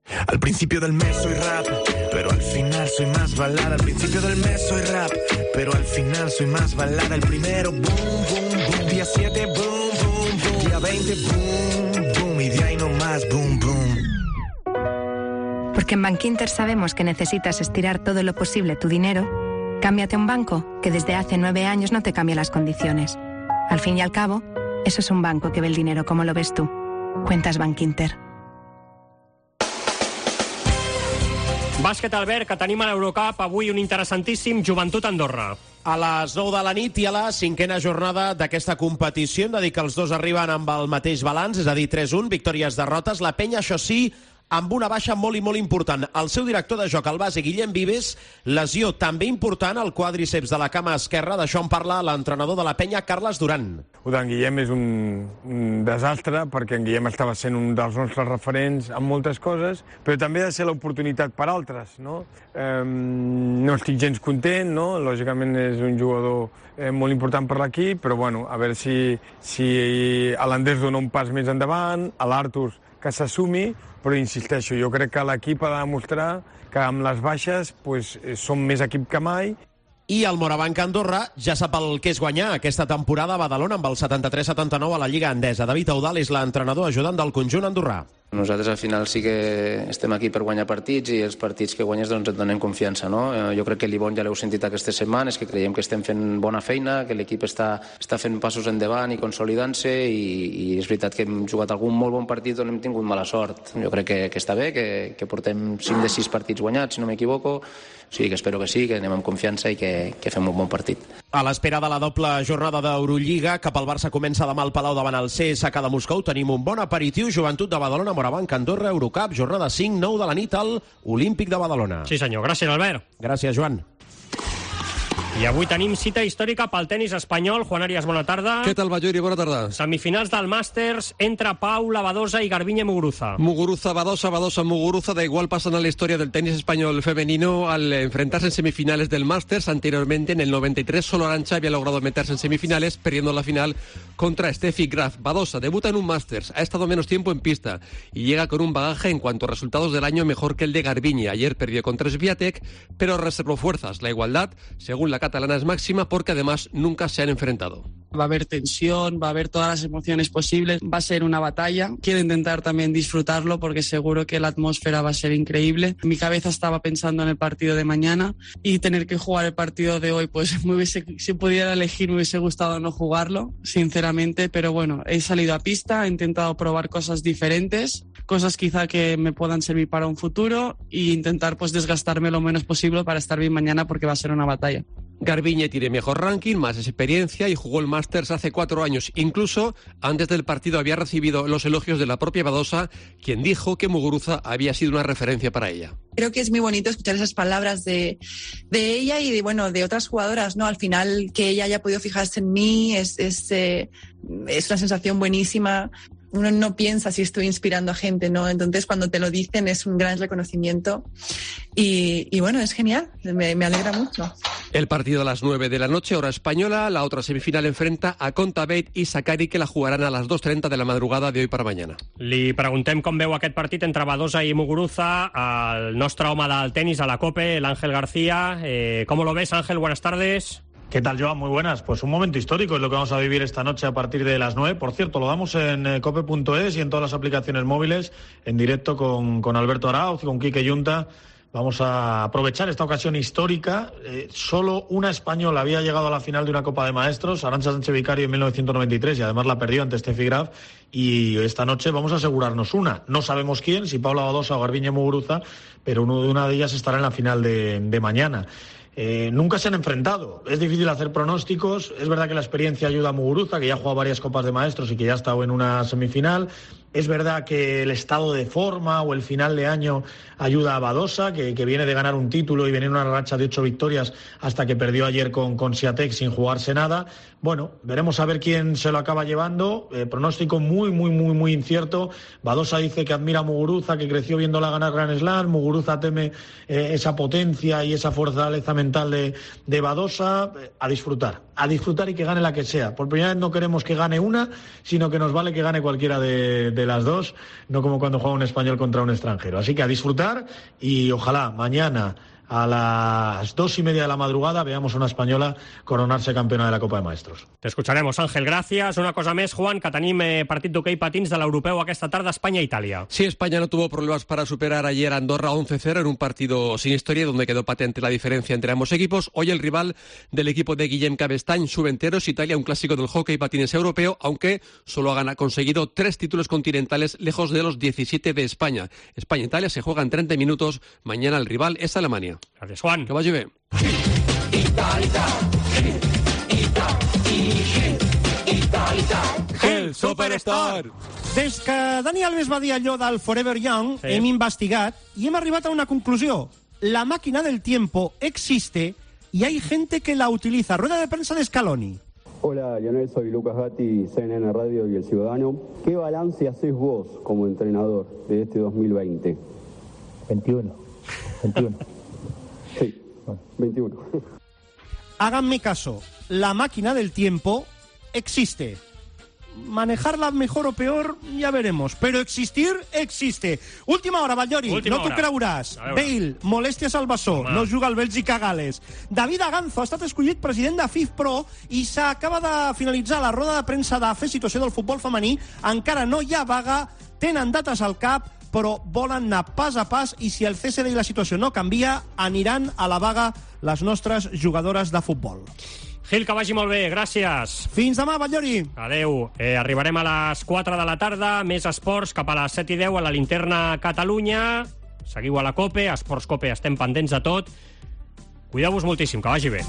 Al principio del mes soy rap, pero al final soy más balada. Al principio del mes soy rap, pero al final soy más balada. El primero, boom, boom, boom. Día siete, boom, boom, boom. Día veinte, boom, boom. Y de ahí no más, boom, boom. Porque en Bankinter sabemos que necesitas estirar todo lo posible tu dinero, cámbiate a un banco que desde hace nueve años no te cambia las condiciones. Al fin y al cabo, eso es un banco que ve el dinero como lo ves tú. Cuentas Bankinter. Bàsquet, Albert, que tenim a l'Eurocup avui un interessantíssim Joventut Andorra. A les nou de la nit i a la cinquena jornada d'aquesta competició hem de dir que els dos arriben amb el mateix balanç, és a dir, tres un, victòries, derrotes. La penya, això sí, amb una baixa molt i molt important. El seu director de joc, el base Guillem Vives, lesió també important al quàdriceps de la cama esquerra. D'això en parla l'entrenador de la penya, Carles Duran. Ho d'en Guillem és un, un desastre, perquè en Guillem estava sent un dels nostres referents en moltes coses, però també ha de ser l'oportunitat per altres, no? Eh, no estic gens content, no? Lògicament és un jugador eh, molt important per l'equip, però bueno, a veure si, si l'Andrés dona un pas més endavant, a l'Artur que s'assumi, però insisteixo, jo crec que l'equip ha de demostrar que amb les baixes pues, som més equip que mai. I el Morabanc Andorra ja sap el que és guanyar aquesta temporada a Badalona amb el setanta-tres setanta-nou a la Lliga Endesa. David Eudal és l'entrenador ajudant del conjunt andorrà. Nosaltres al final sí que estem aquí per guanyar partits i els partits que guanyes doncs et donen confiança, no? Jo crec que l'Ibon ja l'heu sentit aquestes setmanes, que creiem que estem fent bona feina, que l'equip està, està fent passos endavant i consolidant-se i, i és veritat que hem jugat algun molt bon partit on hem tingut mala sort. Jo crec que, que està bé, que, que portem cinc de sis partits guanyats, si no m'equivoco. Sí, que espero que sí, que anem amb confiança i que, que fem un bon partit. A l'espera de la doble jornada d'Eurolliga, cap al Barça comença demà al Palau davant el C S K de Moscou. Tenim un bon aperitiu, Joventut de Badalona, Morabanc, Andorra, Eurocup, jornada cinc, nou de la nit al Olímpic de Badalona. Sí senyor, gràcies Albert. Gràcies Joan. I avui tenim cita històrica pel tenis espanyol. Juan Arias, bona tarda. Què tal, Balluri? Bona tarda. Semifinals del Masters entre Paula Badosa y Garbiñe Muguruza. Muguruza, Badosa, Badosa, Muguruza. Da igual, pasan a la historia del tenis español femenino al enfrentarse en semifinales del Masters. Anteriormente, en el noventa y tres, solo Arantxa había logrado meterse en semifinales, perdiendo la final contra Steffi Graf. Badosa debuta en un Masters, ha estado menos tiempo en pista y llega con un bagaje en cuanto a resultados del año mejor que el de Garbiñe. Ayer perdió contra Swiatek, pero reservó fuerzas. La igualdad, según la catalana, es máxima porque además nunca se han enfrentado. Va a haber tensión, va a haber todas las emociones posibles, va a ser una batalla. Quiero intentar también disfrutarlo porque seguro que la atmósfera va a ser increíble. Mi cabeza estaba pensando en el partido de mañana y tener que jugar el partido de hoy, pues me hubiese, si pudiera elegir me hubiese gustado no jugarlo, sinceramente, pero bueno, he salido a pista, he intentado probar cosas diferentes, cosas quizá que me puedan servir para un futuro e intentar pues desgastarme lo menos posible para estar bien mañana porque va a ser una batalla. Garbiñe tiene mejor ranking, más experiencia y jugó el Masters hace cuatro años. Incluso antes del partido había recibido los elogios de la propia Badosa, quien dijo que Muguruza había sido una referencia para ella. Creo que es muy bonito escuchar esas palabras de, de ella y de, bueno, de otras jugadoras, ¿no? Al final, que ella haya podido fijarse en mí es, es, eh, es una sensación buenísima. Uno no piensa si estoy inspirando a gente, ¿no? Entonces, cuando te lo dicen es un gran reconocimiento y, y bueno, es genial, me, me alegra mucho. El partido a las nueve de la noche, hora española. La otra semifinal enfrenta a Kontaveit i Sakkari, que la jugarán a las dos treinta de la madrugada de hoy para mañana. Li preguntem com veu aquest partit entre Badosa i Muguruza, el nostre home del tenis a la COPE, l'Ángel García. Eh, ¿Cómo lo ves, Ángel? Buenas tardes. ¿Qué tal, Joan? Muy buenas. Pues un momento histórico es lo que vamos a vivir esta noche a partir de las nueve. Por cierto, lo damos en eh, cope punto es y en todas las aplicaciones móviles, en directo con, con Alberto Arauz y con Quique Yunta. Vamos a aprovechar esta ocasión histórica. Eh, solo una española había llegado a la final de una Copa de Maestros, Arantxa Sánchez Vicario, en mil novecientos noventa y tres, y además la perdió ante Steffi Graf. Y esta noche vamos a asegurarnos una. No sabemos quién, si Paula Badosa o Garbiñe Muguruza, pero uno de una de ellas estará en la final de, de mañana. Eh, nunca se han enfrentado, es difícil hacer pronósticos, es verdad que la experiencia ayuda a Muguruza, que ya ha jugado varias Copas de Maestros y que ya ha estado en una semifinal. Es verdad que el estado de forma o el final de año ayuda a Badosa, que, que viene de ganar un título y viene en una racha de ocho victorias hasta que perdió ayer con, con Swiatek sin jugarse nada. Bueno, veremos a ver quién se lo acaba llevando. Eh, pronóstico muy, muy, muy, muy incierto. Badosa dice que admira a Muguruza, que creció viéndola ganar Grand Slam. Muguruza teme eh, esa potencia y esa fortaleza mental de, de Badosa. Eh, a disfrutar, a disfrutar y que gane la que sea. Por primera vez no queremos que gane una, sino que nos vale que gane cualquiera de, de las dos, no como cuando juega un español contra un extranjero. Así que a disfrutar y ojalá mañana a las dos y media de la madrugada veamos a una española coronarse campeona de la Copa de Maestros. Te escucharemos, Ángel, gràcies. Una cosa més, Juan, que tenim eh, partit d'hoquei patins de l'europeu aquesta tarda, España-Italia. Sí, España no tuvo problemas para superar ayer a Andorra once cero en un partido sin historia donde quedó patente la diferencia entre ambos equipos. Hoy el rival del equipo de Guillem Cabestany, Subenteros, Italia, un clásico del hockey patines europeo, aunque solo ha conseguido tres títulos continentales lejos de los diecisiete de España. España-Italia se juega en treinta minutos. Mañana el rival es Alemania. Gràcies, Juan. Que vagi bé. El Superstar. Des que Dani Alves va dir allò del Forever Young, sí. hem investigat i hem arribat a una conclusió. La máquina del tiempo existe y hay gente que la utiliza. Rueda de prensa de Scaloni. Hola, Lionel, soy Lucas Gatti, C N N Radio y El Ciudadano. ¿Qué balance haces vos como entrenador de este dos mil veinte? veintiuno. veintiuno. Sí, veintiuno. Háganme caso, la máquina del tiempo existe. Manejarla mejor o peor, ya veremos. Pero existir, existe. Última hora, Batllori, Última no t'ho creuràs. Bale, molèsties al bessó, no juga al Bèlgica-Gales. David Aganzo ha estat escollit president de FIFPro i s'acaba de finalitzar la roda de premsa de fer situació del futbol femení. Encara no hi ha vaga, tenen dates al cap, però volen anar pas a pas i si el C S D i la situació no canvia, aniran a la vaga les nostres jugadores de futbol. Gil, que vagi molt bé, gràcies. Fins demà, Batllori. Adeu. Eh, arribarem a les quatre de la tarda, més esports, cap a les set i deu a la Linterna Catalunya. Seguiu a la COPE, a Esports COPE estem pendents de tot. Cuideu-vos moltíssim, que vagi bé.